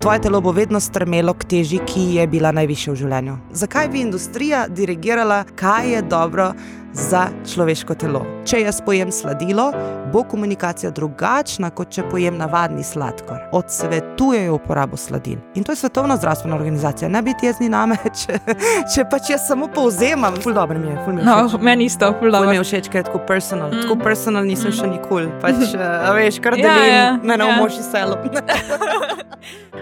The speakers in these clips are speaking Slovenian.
Tvoje telo bo vedno stremelo k teži, ki je bila najvišja v življenju. Zakaj bi industrija dirigirala, kaj je dobro za človeško telo? Če jaz pojem sladilo, bo komunikacija drugačna, kot če pojem navadni sladkor. Odsvetujejo uporabo sladil. In to je Svetovna zdravstvena organizacija. Ne biti jezni name, če pač jaz samo povzemam. Ful dobro mi je, ful mi je všeč. No, meni isto, ful dobro. Ful mi je všeč, ker je tako personal. Tako personal nisem še nikoli. Pač, veš, kar delim, me na umoši selo.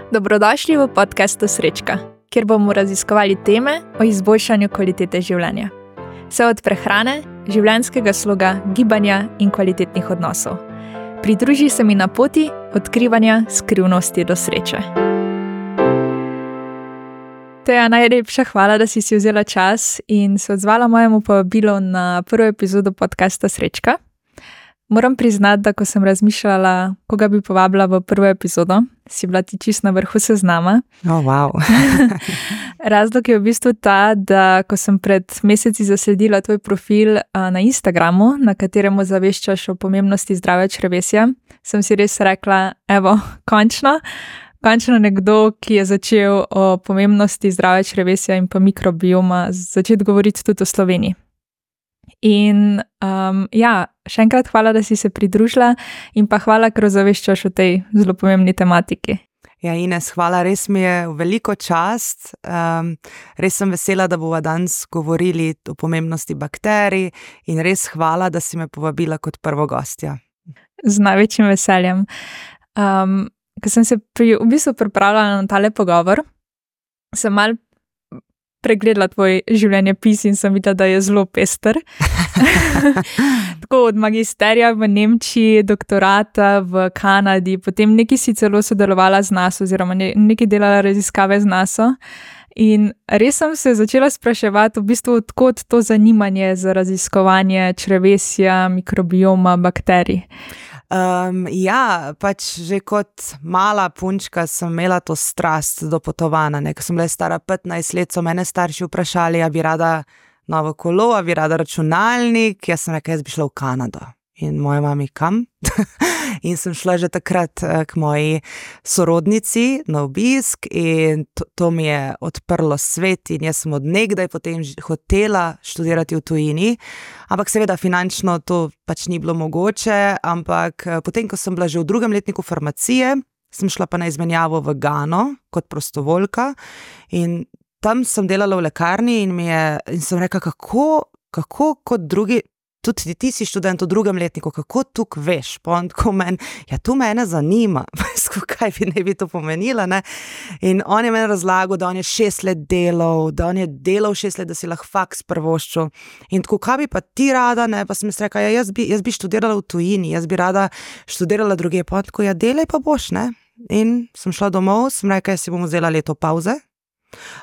Dobrodošli v podcastu Srečka, kjer bomo raziskovali teme o izboljšanju kvalitete življenja. Vse od prehrane, življenjskega sloga, gibanja in kvalitetnih odnosov. Pridruži se mi na poti odkrivanja skrivnosti do sreče. Teja, najlepša hvala, da si vzela čas in se odzvala mojemu povabilu na prvo epizodo podcasta Srečka. Moram priznati, da ko sem razmišljala, koga bi povabila v prvo epizodo, si bila ti čisto na vrhu seznama. Oh, wow. Razlog je v bistvu ta, da ko sem pred meseci zasledila tvoj profil na Instagramu, na kateremu zaveščaš o pomembnosti zdravja črevesja, sem si res rekla, evo, končno nekdo, ki je začel o pomembnosti zdravja črevesja in pa mikrobioma začeti govoriti tudi o Sloveniji. In še enkrat hvala, da si se pridružila in pa hvala, ker zaveščaš o tej zelo pomembni tematiki. Ja, Ines, hvala, res mi je veliko čast. Res sem vesela, da bova danes govorili o pomembnosti bakterij in res hvala, da si me povabila kot prvo gostja. Z največjim veseljem. Ko sem se v bistvu pripravljala na tale pogovor, sem malo pregledala tvoj življenjepis in sem videla, da je zelo pester. Tako od magisterija v Nemčiji, doktorata v Kanadi, potem nekaj si celo sodelovala z NASO oziroma nekaj delala raziskave z NASO. In res sem se začela spraševati v bistvu, odkot to zanimanje za raziskovanje črevesja, mikrobioma, bakterij. Ja, pač že kot mala punčka sem imela to strast do potovanja. Ko sem bila stara 15 let, so mene starši vprašali, a bi rada novo kolo, a bi rada računalnik. Jaz sem rekla, jaz bi šla v Kanado. In moja mami, kam? In sem šla že takrat k moji sorodnici na obisk in to mi je odprlo svet in jaz sem od nekdaj potem hotela študirati v tujini, ampak seveda finančno to pač ni bilo mogoče, ampak potem, ko sem bila že v drugem letniku farmacije, sem šla pa na izmenjavo v Gano kot prostovoljka in tam sem delala v lekarni in sem rekla, kako kot drugi. Tudi ti si študent v drugem letniku, kako tukaj veš? Pa on tako meni, ja, to mene zanima, kaj bi to pomenila, ne? In on je meni razlagal, da on je 6 let delal, 6 let, da si lahko faks prvoščil. In tako, kaj bi pa ti rada, ne? Pa sem rekla, ja, jaz bi študirala v tujini, jaz bi rada študirala druge. Pa on tako, ja, delaj pa boš, ne? In sem šla domov, sem rekla, jaz si bom vzela leto pauze.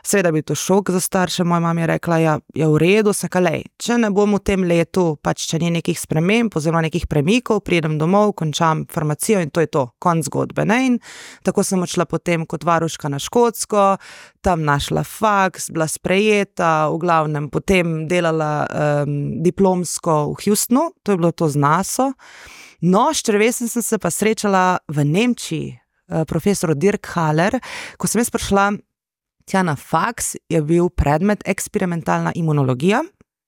Seveda bi to šok za starše, moja mama je rekla, ja, je v redu, sem rekla, lej, če ne bom v tem letu, pač če ni nekih sprememb oziroma nekih premikov, pridem domov, končam farmacijo in to je to, konc zgodbe, ne, in tako sem odšla potem kot varuška na Škotsko, tam našla faks, bila sprejeta, v glavnem potem delala diplomsko v Houstonu, to je bilo to z NASO. No, s črevesjem sem se pa srečala v Nemčiji, profesor Dirk Haller, ko sem jaz prišla tja na faks, je bil predmet eksperimentalna imunologija.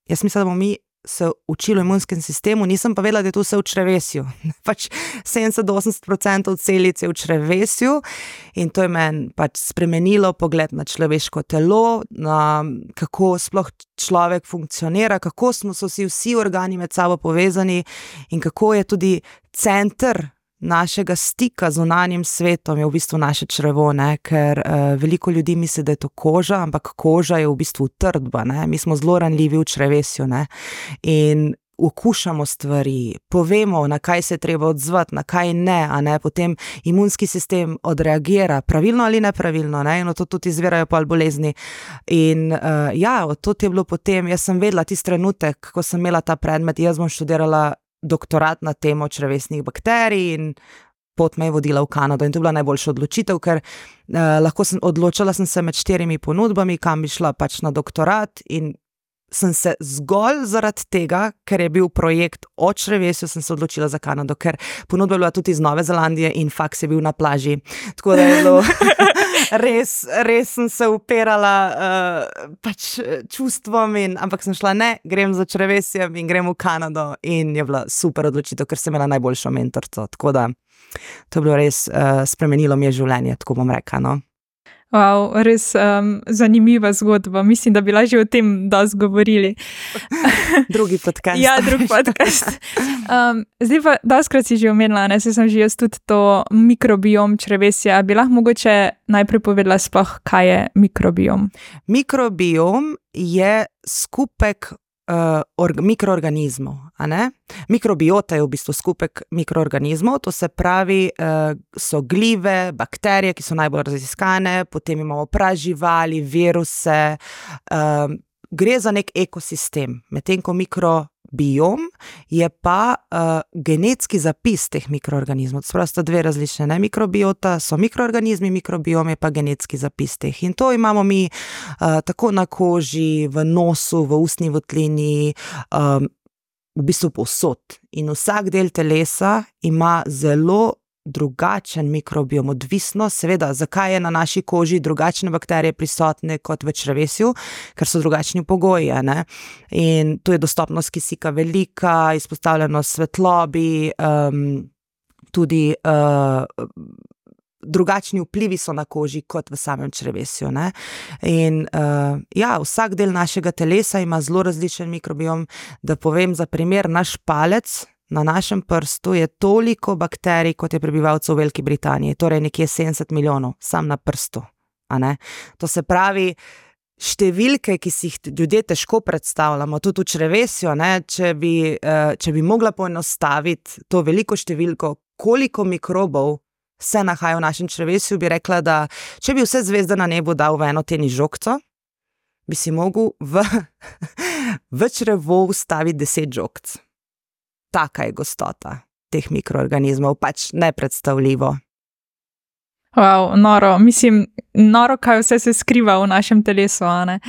Jaz mislim, da bomo mi se učili v imunskem sistemu, nisem pa vedela, da je to vse v črevesju. Pač 70-80% celic je v črevesju in to je meni pač spremenilo pogled na človeško telo, na kako sploh človek funkcionira, kako smo vsi organi med sabo povezani in kako je tudi center našega stika z zunanjim svetom je v bistvu naše črevo, ne? Ker veliko ljudi misli, da je to koža, ampak koža je v bistvu utrdba, ne? Mi smo zelo ranljivi v črevesju, ne? In okušamo stvari, povemo, na kaj se je treba odzvati, na kaj ne, a ne, potem imunski sistem odreagira, pravilno ali nepravilno, ne, in od to tudi izvirajo pol bolezni. In ja, od to je bilo potem, jaz sem vedela tisti trenutek, ko sem imela ta predmet, jaz bom študirala doktorat na temo črevesnih bakterij in pot me je vodila v Kanado in to je bila najboljša odločitev, ker odločala sem se med 4 ponudbami, kam bi šla pač na doktorat in sem se zgolj zaradi tega, ker je bil projekt o črevesju, sem se odločila za Kanado, ker ponudba je bila tudi iz Nove Zelandije in faks je bil na plaži. Tako da je bilo res sem se upirala pač čustvom, ampak sem šla, ne, grem za črevesjem in grem v Kanado in je bila super odločitev, ker sem imela najboljšo mentorico. Tako da to je bilo res, spremenilo mi je življenje, tako bom rekla, no. Wow, res zanimiva zgodba. Mislim, da bi lahko že o tem dosti govorili. Drugi podcast. Ja, drugi podcast. Zdaj pa, dostikrat si že omenila, ne, sem že jaz tudi to mikrobiom črevesja. Bi lahko mogoče najprej povedala sploh, kaj je mikrobiom? Mikrobiom je skupek mikroorganizmov, a ne? Mikrobiota je v bistvu skupek mikroorganizmov, to se pravi, so glive, bakterije, ki so najbolj raziskane, potem imamo praživali, viruse, gre za nek ekosistem, medtem ko mikrobiom je pa genetski zapis teh mikroorganizmov. To sta dve različne, ne? Mikrobiota so mikroorganizmi, mikrobiom je pa genetski zapis teh. In to imamo mi tako na koži, v nosu, v ustni votlini, v bistvu povsod. In vsak del telesa ima zelo drugačen mikrobiom, odvisno, seveda, zakaj je na naši koži drugačne bakterije prisotne kot v črevesju, ker so drugačni pogoji, ne? In tu je dostopnost kisika velika, izpostavljenost svetlobi, tudi drugačni vplivi so na koži kot v samem črevesju, ne? In ja, vsak del našega telesa ima zelo različen mikrobiom. Da povem za primer, naš palec na našem prstu je toliko bakterij, kot je prebivalcev v Veliki Britaniji, torej nekje 70 milijonov, sam na prstu, a ne? To se pravi, številke, ki si jih ljudje težko predstavljamo, tudi v črevesju, ne? Če bi mogla poenostaviti to veliko številko, koliko mikrobov se nahaja v našem črevesju, bi rekla, da če bi vse zvezde na nebu dal v eno tenis žogco, bi si mogel v črevo vstaviti 10 žogc. Taka je gostota teh mikroorganizmov, pač nepredstavljivo. Wow, noro. Mislim, noro, kaj vse se skriva v našem telesu, a ne?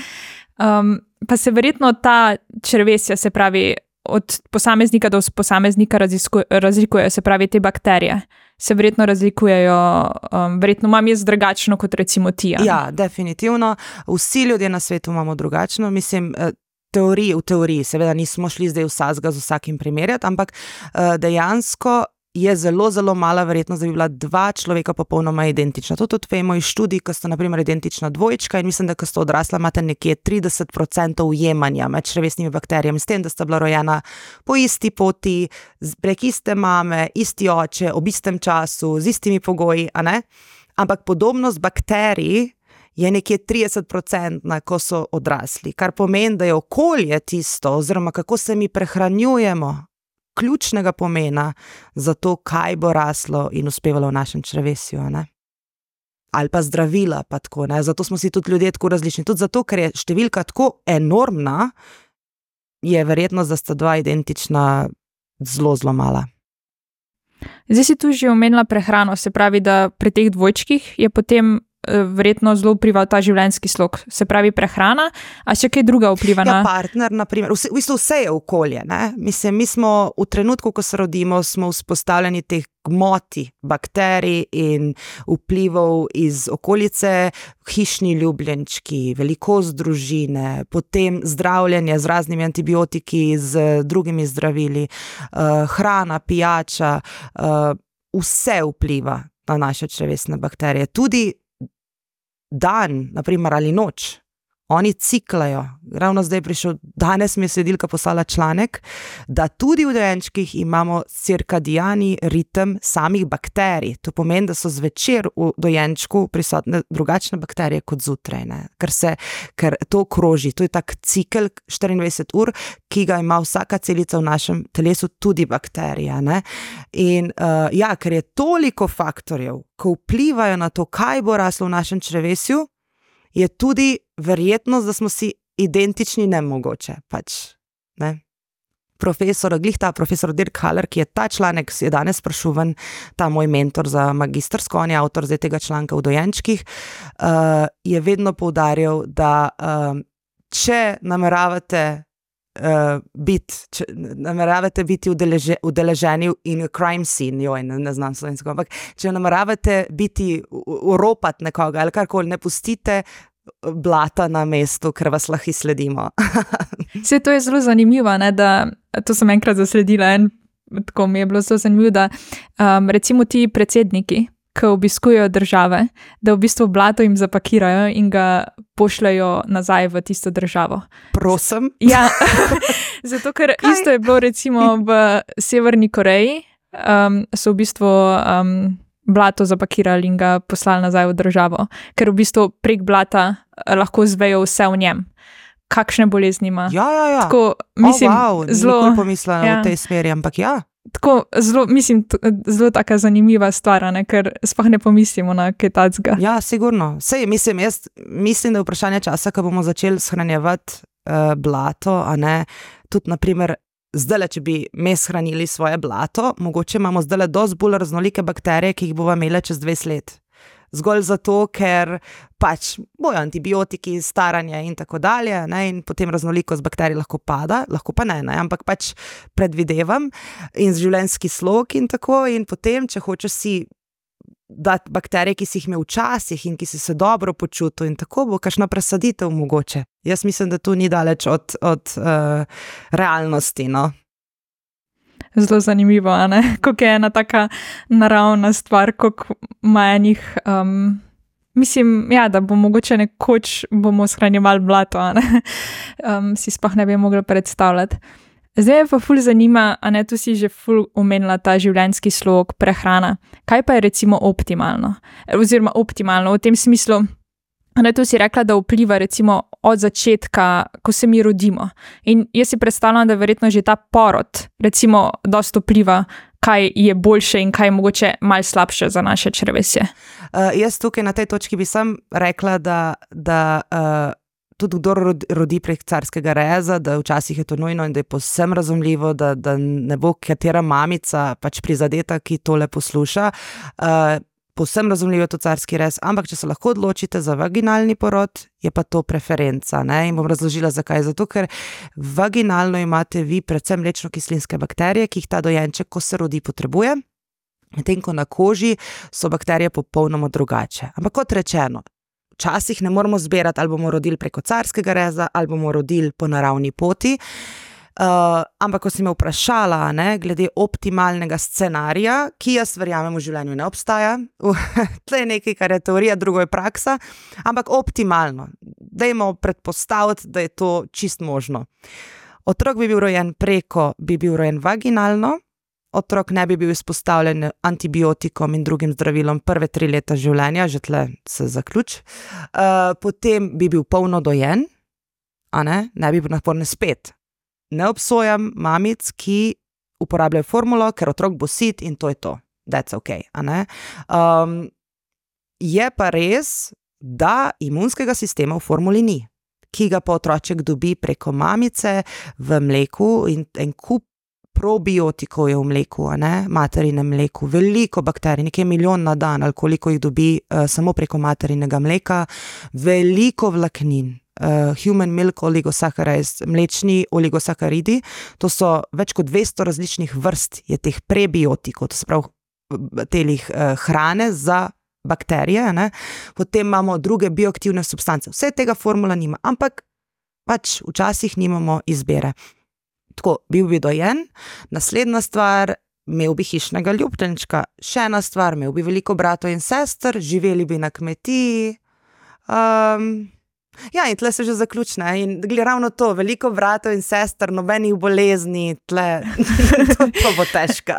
Pa se verjetno ta črevesja, se pravi, od posameznika do posameznika razlikujejo, se pravi, te bakterije se verjetno razlikujejo, verjetno imam jaz drugačno kot recimo ti. Ja, definitivno. Vsi ljudje na svetu imamo drugačno, mislim, v teoriji, seveda nismo šli zdaj vsakega z vsakim primerjati, ampak dejansko je zelo, zelo mala verjetnost, da bi bila dva človeka popolnoma identična. To tudi vemo iz študij, ko sta na primer identična dvojčka in mislim, da ko sta odrasla, imate nekje 30% ujemanja med črevesnimi bakterijami, s tem, da sta bila rojena po isti poti, prek iste mame, isti oče, ob istem času, z istimi pogoji, a ne? Ampak podobnost bakterij je nekje 30%, ko so odrasli, kar pomeni, da je okolje tisto, oziroma kako se mi prehranjujemo, ključnega pomena za to, kaj bo raslo in uspevalo v našem črevesju, ne? Ali pa zdravila, pa tako, ne? Zato smo si tudi ljudje tako različni. Tudi zato, ker je številka tako enormna, je verjetnost, da sta dva identična, zelo, zelo mala. Zdaj si tu že omenila prehrano, se pravi, da pri teh dvojčkih je potem verjetno zelo vplival ta življenjski slog, se pravi prehrana, a še kaj druga vpliva na... Ja, partner, na primer, v bistvu vse je okolje, ne? Mislim, mi smo v trenutku, ko se rodimo, smo vzpostavljeni teh gmoti, bakterij in vplivov iz okolice, hišni ljubljenčki, velikost družine, potem zdravljenje z raznimi antibiotiki, z drugimi zdravili, hrana, pijača, vse vpliva na naše črevesne bakterije. Tudi dan, naprimer, ali noč, oni ciklajo. Ravno zdaj danes mi je sledilka poslala članek, da tudi v dojenčkih imamo cirkadiani ritem samih bakterij. To pomeni, da so zvečer v dojenčku prisotne drugačne bakterije kot zjutraj, ne? Ker to kroži, to je tak cikel 24 ur, ki ga ima vsaka celica v našem telesu, tudi bakterija, ne? In ja, ker je toliko faktorjev, ko vplivajo na to, kaj bo raslo v našem črevesju, je tudi verjetnost, da smo si identični nemogoče, pač, ne? Profesor Dirk Haller, ki je ta članek, je danes prišel ven, ta moj mentor za magistrsko, on je avtor zdaj tega članka v dojenčkih, je vedno poudarjal, da če nameravate biti udeleženi in crime scene, ne znam slovensko, ampak če nameravate biti uropati nekoga ali karkoli, ne pustite blata na mestu, ker vas lahko sledimo. Vse to je zelo zanimivo, ne, da to sem enkrat zasledila in tako mi je bilo zelo zanimivo, da recimo ti predsedniki, ki obiskujejo države, da v bistvu blato jim zapakirajo in ga pošljajo nazaj v tisto državo. Prosim? Ja, zato ker isto je bilo recimo v Severni Koreji, so v bistvu blato zapakirali in ga poslali nazaj v državo, ker v bistvu prek blata lahko zvejo vse v njem. Kakšne bolezni ima. Ja. Tako, mislim, zelo... Nikoli pomislila v tej smeri, ampak ja. Tako, zelo taka zanimiva stvar, ne, ker sploh ne pomislimo na kaj takega. Ja, sigurno. Sej, mislim, da je vprašanje časa, ko bomo začeli shranjevati blato, a ne, tudi naprimer, zdajle, če bi mi shranili svoje blato, mogoče imamo zdajle dosti bolj raznolike bakterije, ki jih bova imele čez 20 let. Zgolj zato, ker pač bojo antibiotiki, staranje in tako dalje, ne, in potem raznolikost bakterij lahko pada, lahko pa ne, ampak pač predvidevam in življenjski slog in tako, in potem, če hočeš si dati bakterije, ki si jih imel včasih in ki si se dobro počutil in tako, bo kakšna presaditev mogoče. Jaz mislim, da to ni daleč od realnosti, no. Zelo zanimivo, a ne? Kako je ena taka naravna stvar, kako ima enih, mislim, ja, da bo mogoče nekoč bomo shranjevali blato, a ne? Si sploh ne bi mogli predstavljati. Zdaj me pa ful zanima, a ne, tu si že ful omenila ta življenjski slog, prehrana. Kaj pa je recimo optimalno? Oziroma optimalno v tem smislu, a ne, tu si rekla, da vpliva recimo od začetka, ko se mi rodimo. In jaz si predstavljam, da verjetno že ta porod recimo dosti vpliva, kaj je boljše in kaj je mogoče malo slabše za naše črevesje. Jaz tukaj na tej točki bi sam rekla, da tudi kdo rodi prek carskega reza, da včasih je to nujno in da je povsem razumljivo, da ne bo katera mamica pač prizadeta, ki tole posluša. Povsem razumljivo je to carski rez, ampak če se lahko odločite za vaginalni porod, je pa to preferenca, ne? In bom razložila, zakaj. Zato, ker vaginalno imate vi predvsem mlečno-kislinske bakterije, ki jih ta dojenček, ko se rodi, potrebuje, medtem ko na koži so bakterije popolnoma drugače. Ampak kot rečeno, včasih ne moramo zbirati, ali bomo rodili preko carskega reza, ali bomo rodili po naravni poti. Ampak ko si me vprašala, ne, glede optimalnega scenarija, ki jaz verjamem v življenju ne obstaja, tle je nekaj, kar je teorija, drugo je praksa, ampak optimalno. Dajmo predpostaviti, da je to čist možno. Otrok bi bil rojen vaginalno, otrok ne bi bil izpostavljen antibiotikom in drugim zdravilom prve 3 leta življenja, že tle se zaključ. Potem bi bil polno dojen, a ne bi bil naporne spet. Ne obsojam mamic, ki uporabljajo formulo, ker otrok bo sit in to je to. That's okay, a ne? Je pa res, da imunskega sistema v formuli ni, ki ga pa otroček dobi preko mamice v mleku in en kup probiotikov je v mleku, a ne? Materinem mleku, veliko bakterij, nekaj 1 milijon na dan, ali koliko jih dobi samo preko materinega mleka, veliko vlaknin. Human milk oligosaccharides, mlečni oligosakaridi, to so več kot 200 različnih vrst je teh prebiotikov, to se pravi telih hrane za bakterije, ne? Potem imamo druge bioaktivne substance, vse tega formula nima, ampak pač včasih nimamo izbire. Tako, bil bi dojen, naslednja stvar, imel bi hišnega ljubljenčka, še ena stvar, imel bi veliko bratov in sester, živeli bi na kmetiji, ja, in tle se že zaključne. In ravno to, veliko bratov in sester, nobenih bolezni, tle, to bo težko.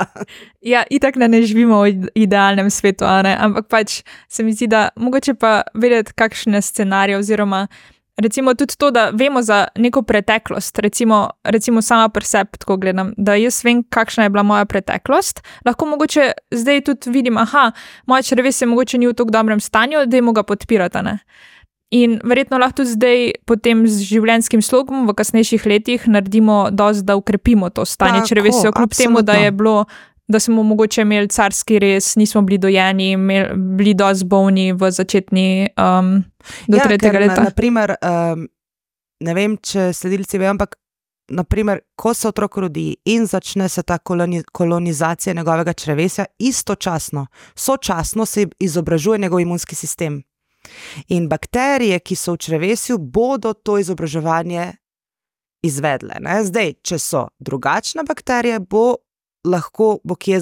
Ja, itak ne živimo v idealnem svetu, a ne? Ampak pač se mi zdi, da mogoče pa vedeti, kakšne scenarije oziroma recimo tudi to, da vemo za neko preteklost, recimo sama pri sebi tako gledam, da jaz vem, kakšna je bila moja preteklost, lahko mogoče zdaj tudi vidim, moja črevesje mogoče ni v tako dobrem stanju, dajmo ga podpirati, ne? In verjetno lahko tudi zdaj potem z življenjskim slogom v kasnejših letih naredimo dosti, da ukrepimo to stanje črevesja, kljub temu, da je bilo, da smo mogoče imeli carski rez, nismo bili dojeni, bili dosti bolni v začetni do 3. leta. Naprimer, ne vem, če sledilci vejo, ampak naprimer, ko se otrok rodi in začne se ta kolonizacija njegovega črevesja, sočasno se izobražuje njegov imunski sistem. In bakterije, ki so v črevesju, bodo to izobraževanje izvedle. Ne? Zdaj, če so drugačne bakterije, bo kje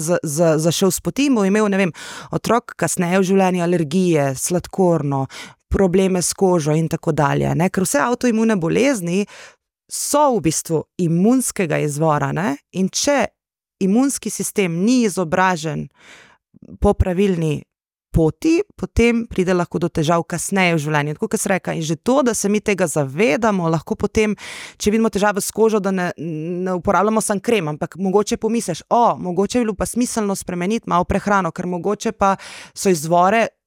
zašel s poti in bo imel, ne vem, otrok kasneje v življenju alergije, sladkorno, probleme s kožo in tako dalje. Ne? Ker vse avtoimune bolezni so v bistvu imunskega izvora, ne? In če imunski sistem ni izobražen po pravilni poti, potem pride lahko do težav kasneje v življenju. Tako kot se reka, in že to, da se mi tega zavedamo, lahko potem, če vidimo težave s kožo, da ne uporabljamo sam krem, ampak mogoče pomisliš, mogoče je bilo pa smiselno spremeniti malo prehrano, ker mogoče pa so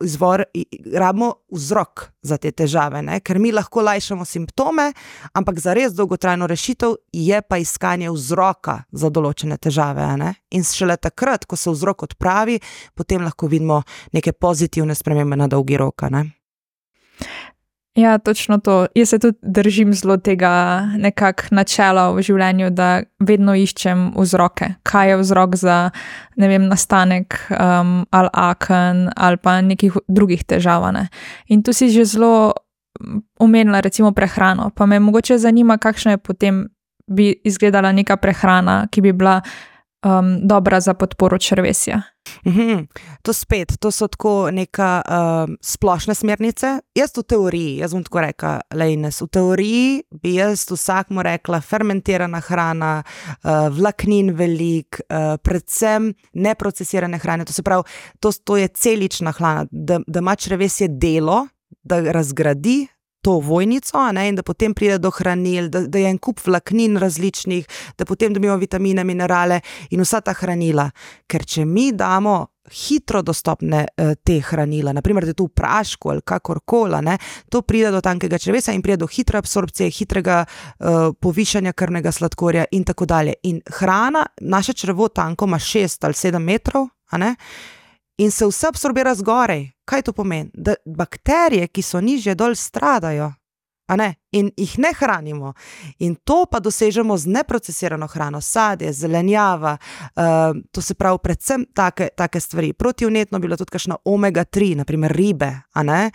rabimo vzrok za te težave, ne? Ker mi lahko lajšamo simptome, ampak za res dolgotrajno rešitev je pa iskanje vzroka za določene težave, ne? In šele takrat, ko se vzrok odpravi, potem lahko vidimo neke pozitivne spremembe na dolgi rok, ne? Ja, točno to. Jaz se tudi držim zelo tega načela v življenju, da vedno iščem vzroke. Kaj je vzrok za, ne vem, nastanek ali aken ali pa nekih drugih težav, ne? In tu si že zelo omenila recimo prehrano, pa me mogoče zanima, kakšna je potem bi izgledala neka prehrana, ki bi bila dobra za podporo črevesja. To so tako neka splošne smernice. Jaz v teoriji, jaz bom tako rekla, v teoriji bi jaz vsakmu rekla fermentirana hrana, vlaknin velik, predvsem neprocesirane hrane, to se pravi, to je celična hrana, da ima črevesje delo, da razgradi to vojnico, ne, in da potem pride do hranil, da je en kup vlaknin različnih, da potem dobimo vitamine, minerale in vsa ta hranila. Ker če mi damo hitro dostopne te hranila, naprimer, da je to v prašku ali kakorkoli, ne, to pride do tankega črevesja in pride do hitre absorpcije, hitrega povišanja krvnega sladkorja in tako dalje. In hrana, naše črevo tanko ima 6 ali 7 metrov, a ne, in se vse absorbira zgorej. Kaj to pomeni? Da bakterije, ki so nižje dol, stradajo, a ne? In jih ne hranimo. In to pa dosežemo z neprocesirano hrano, sadje, zelenjava, to se pravi predvsem take stvari. Protivnetno bi bila tudi kakšna omega-3, naprimer ribe, a ne?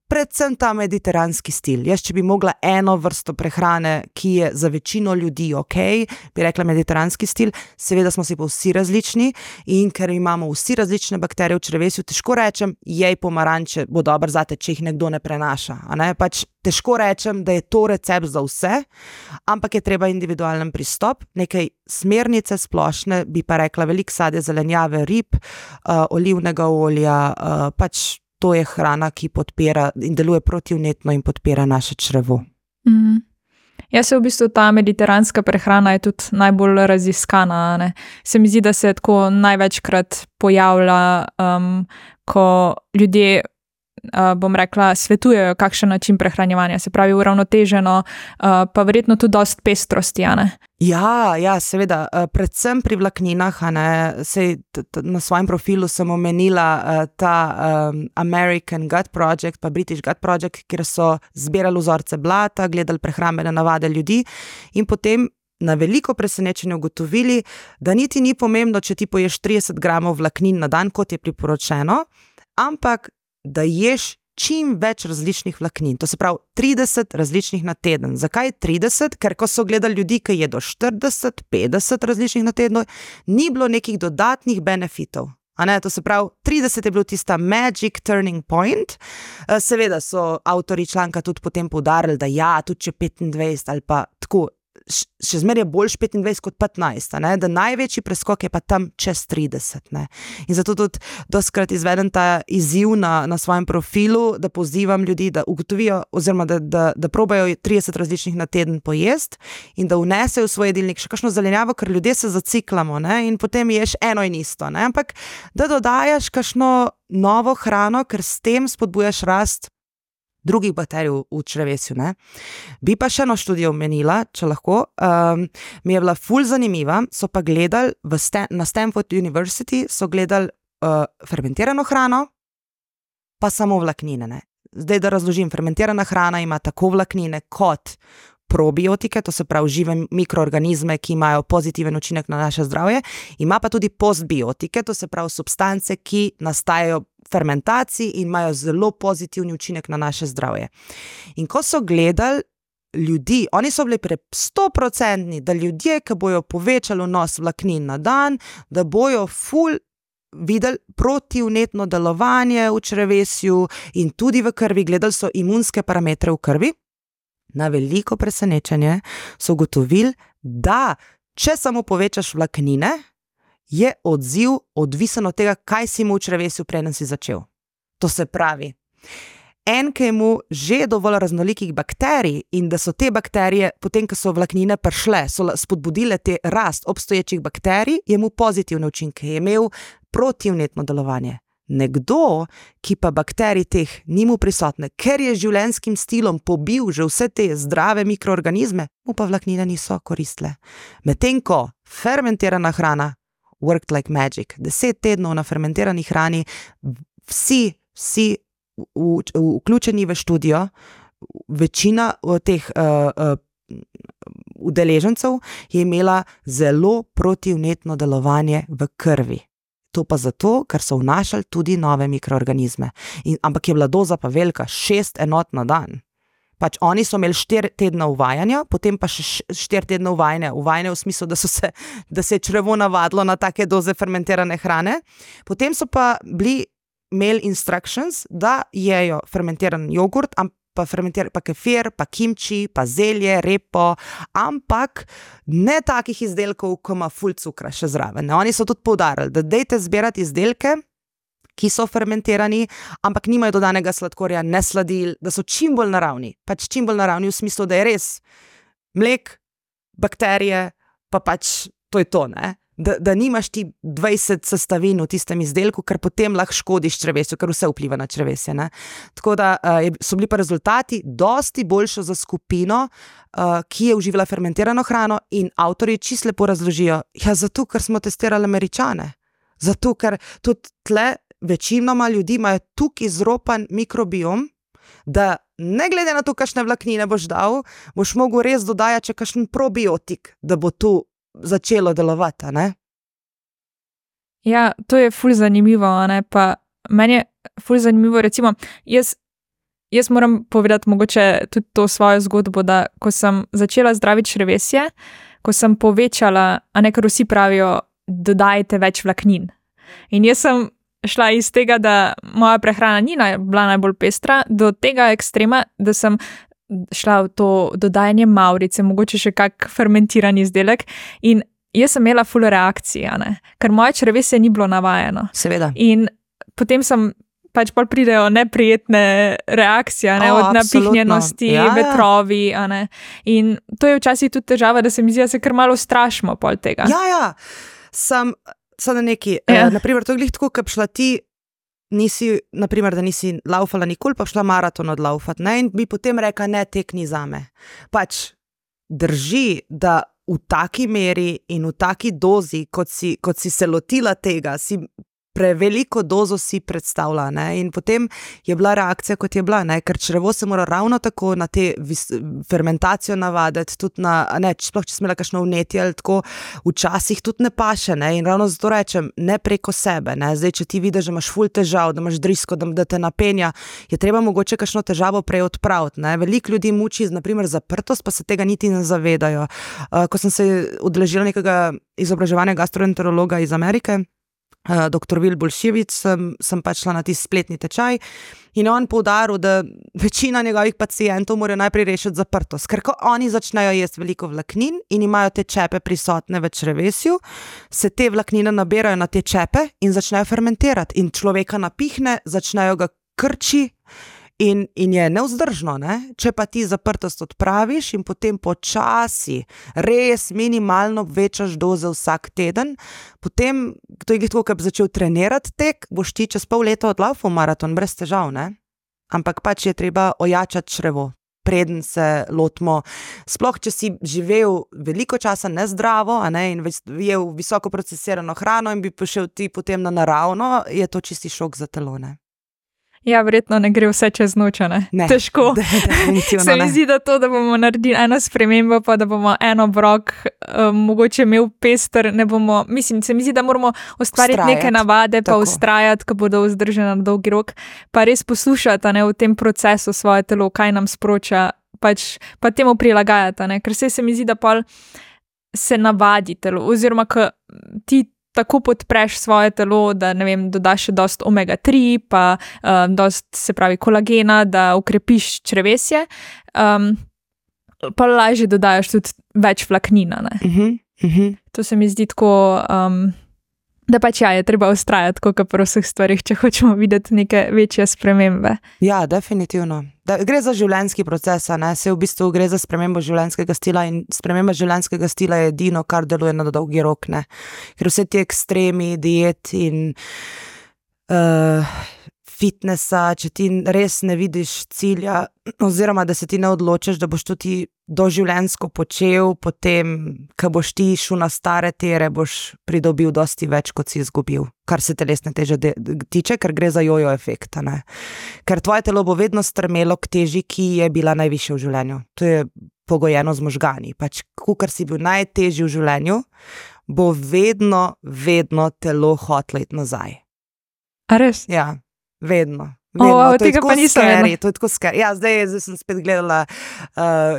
Predvsem ta mediteranski stil. Jaz, če bi mogla eno vrsto prehrane, ki je za večino ljudi bi rekla mediteranski stil, seveda smo si pa vsi različni in ker imamo vsi različne bakterije v črevesju, težko rečem, jej pomaranče bo dobro zate, če jih nekdo ne prenaša, a ne? Pač težko rečem, da je to recept za vse, ampak je treba individualen pristop, nekaj smernice splošne, bi pa rekla veliko sadja, zelenjave, rib, olivnega olja, pač to je hrana, ki podpira in deluje protivnetno in podpira naše črevo. Jaz se v bistvu ta mediteranska prehrana je tudi najbolj raziskana, ne? Se mi zdi, da se tako največkrat pojavlja, ko ljudje bom rekla, svetujejo kakšen način prehranjevanja, se pravi uravnoteženo, pa verjetno tudi dosti pestrosti, a ne? Ja, seveda, predvsem pri vlakninah, a ne, sej na svojem profilu sem omenila ta American Gut Project pa British Gut Project, kjer so zbirali vzorce blata, gledali prehrambene navade ljudi in potem na veliko presenečenje ugotovili, da niti ni pomembno, če ti poješ 30 gramov vlaknin na dan, kot je priporočeno, ampak da ješ čim več različnih vlaknin. To se pravi 30 različnih na teden. Zakaj 30? Ker ko so gledali ljudi, ki jedo 40, 50 različnih na teden, ni bilo nekih dodatnih benefitov. A ne, to se pravi, 30 je bil tista magic turning point. Seveda so avtorji članka tudi potem poudarili, da ja, tudi če 25 ali pa tako, še zmeraj je boljš 25 kot 15, ne? Da največji preskok je pa tam čez 30. Ne? In zato tudi dostikrat izvedem ta izziv na svojem profilu, da pozivam ljudi, da ugotovijo oziroma da probajo 30 različnih na teden pojesti in da vnesejo v svoj jedilnik še kakšno zelenjavo, ker ljudje se zaciklamo, ne? In potem ješ eno in isto, ne? Ampak da dodajaš kakšno novo hrano, ker s tem spodbujaš rast drugih bakterij v črevesju, ne. Bi pa še eno študijo omenila, če lahko, mi je bila ful zanimiva, so pa gledali na Stanford University, so gledali fermentirano hrano, pa samo vlaknine, ne. Zdaj, da razložim, fermentirana hrana ima tako vlaknine kot probiotike, to se pravi žive mikroorganizme, ki imajo pozitiven učinek na naše zdravje, ima pa tudi postbiotike, to se pravi substance, ki nastajajo fermentaciji in imajo zelo pozitivni učinek na naše zdravje. In ko so gledali ljudi, oni so bili 100%, da ljudje, ki bojo povečali vnos vlaknin na dan, da bojo videli protivnetno delovanje v črevesju in tudi v krvi, gledali so imunske parametre v krvi. Na veliko presenečenje so ugotovili, da če samo povečaš vlaknine, je odziv odvisen od tega, kaj si imel v črevesju, preden si začel. To se pravi, ki je imel že dovolj raznolikih bakterij in da so te bakterije, potem ko so vlaknine prišle, so spodbudile te rast obstoječih bakterij, je imel pozitivne učinke, je imel protivnetno delovanje. Nekdo, ki pa bakterij teh ni imel prisotne, ker je življenjskim stilom pobil že vse te zdrave mikroorganizme, mu pa vlaknine niso koristile. Medtem ko fermentirana hrana worked like magic. 10 tednov na fermentirani hrani, vsi vključeni v študijo, večina teh udeležencev je imela zelo protivnetno delovanje v krvi. To pa zato, ker so vnašali tudi nove mikroorganizme. Ampak je bila doza pa velika, 6 enot na dan. Pač oni so imeli 4 tedna uvajanja, potem pa še 4 tedna uvajanja v smislu, da se je črevo navadilo na take doze fermentirane hrane. Potem so pa imeli instructions, da jejo fermentiran jogurt, pa kefir, pa kimči, pa zelje, repo, ampak ne takih izdelkov, ko ima ful cukra še zraven. Oni so tudi poudarili, da dejte zbirati izdelke, ki so fermentirani, ampak nimajo dodanega sladkorja, ne sladil, da so čim bolj naravni. Pač čim bolj naravni v smislu, da je res mlek, bakterije, pa pač to je to, ne? Da nimaš ti 20 sestavin v tistem izdelku, ker potem lahko škodiš črevesju, ker vse vpliva na črevesje, ne? Tako da so bili pa rezultati dosti boljši za skupino, ki je uživala fermentirano hrano, in avtorji čisto lepo razložijo, zato, ker smo testirali Američane. Zato, ker tudi tle večinoma ljudi imajo tukaj izropan mikrobiom, da ne glede na to, kakšne vlaknine boš dal, boš mogel res dodajati še kakšen probiotik, da bo tu začelo delovati, ne? Ja, to je ful zanimivo, ne? Pa meni je ful zanimivo, recimo, jaz moram povedati mogoče tudi to svojo zgodbo, da ko sem začela zdraviti črevesje, ko sem povečala, ker vsi pravijo, dodajte več vlaknin. In jaz sem šla iz tega, da moja prehrana ni bila najbolj pestra, do tega ekstrema, da sem šla v to dodajanje mavrice, mogoče še kak fermentiran izdelek, in jaz sem imela ful reakcije, ker moje črevesje ni bilo navajeno. Seveda. In potem pač pol pridejo neprijetne reakcije, od napihnjenosti, vetrovi, in to je včasih tudi težava, da se mi zdi, da se kar malo strašimo pol tega. Ja, sem na neki, naprimer, to je glih tako, kad šla ti, naprimer, da nisi laufala nikoli, pa šla maraton odlaufat, ne, in bi potem rekla, ne, tek ni zame. Pač drži, da v taki meri in v taki dozi, kot si se lotila tega, si preveliko dozo si predstavlja, ne, in potem je bila reakcija, kot je bila, ne, ker črevo se mora ravno tako na te fermentacijo navaditi, tudi sploh če smela kakšno vnetje ali tako, včasih tudi ne paše, ne, in ravno zato rečem, ne preko sebe, ne, zdaj, če ti vidiš, da imaš ful težav, da imaš drisko, da te napenja, je treba mogoče kakšno težavo prej odpraviti, ne, veliko ljudi muči, naprimer, zaprtost, pa se tega niti ne zavedajo. Ko sem se udeležila nekega izobraževanja gastroenterologa iz Amerike, dr. Will Bolševič, sem pač šla na tisti spletni tečaj in on poudaril, da večina njegovih pacientov morajo najprej rešiti zaprtost, ker ko oni začnejo jesti veliko vlaknin in imajo te čepe prisotne v črevesju, se te vlaknine naberajo na te čepe in začnejo fermentirati in človeka napihne, začnejo ga krči in je nevzdržno, ne? Če pa ti zaprtost odpraviš in potem počasi, res minimalno večaš doze vsak teden, potem, to je tako, kad bi začel trenirati tek, boš ti čez pol leta odlaufal maraton brez težav, ne? Ampak pač je treba ojačati črevo, preden se lotimo. Sploh, če si živel veliko časa nezdravo, in jel visoko procesirano hrano in bi prišel ti potem na naravno, je to čisti šok za telo, ne? Ja, verjetno ne gre vse čez noč, ne? Težko. Se mi zdi, da to, da bomo naredili eno spremembo, pa da bomo en obrok mogoče imel pester, ne bomo, mislim, se mi zdi, da moramo ustvariti neke navade, pa ustrajati, ko bodo vzdržene na dolgi rok, pa res poslušati, ne, v tem procesu svoje telo, kaj nam sporoča, pač, pa temu prilagajati, ne, ker se mi zdi, da pol se navadi telo, oziroma, ko ti tako podpreš svoje telo, da, ne vem, dodaš še dost omega-3, pa dost, se pravi, kolagena, da ukrepiš črevesje, pa lažje dodajaš tudi več vlaknina, ne. To se mi zdi tako, da pač je treba ustrajati, kot pri vseh stvarih, če hočemo videti neke večje spremembe. Ja, definitivno. Gre za življenjski proces, ne? Se v bistvu gre za spremembo življenjskega stila in sprememba življenjskega stila je edino, kar deluje na dolgi rok, ne? Ker vse ti ekstremi, diet in fitnessa, če ti res ne vidiš cilja, oziroma da se ti ne odločiš, da boš to ti doživljenjsko počel, potem, ko boš ti šel na stare tere, boš pridobil dosti več, kot si izgubil, kar se telesne teže tiče, ker gre za jojo efekt, ne. Ker tvoje telo bo vedno strmelo k teži, ki je bila najvišja v življenju. To je pogojeno z možgani. Pač, kakor si bil najtežji v življenju, bo vedno telo hotlo iti nazaj. A res? Ja. Vedno. Tega pa nisem vedela. To je tako scary. Ja, zdaj sem spet gledala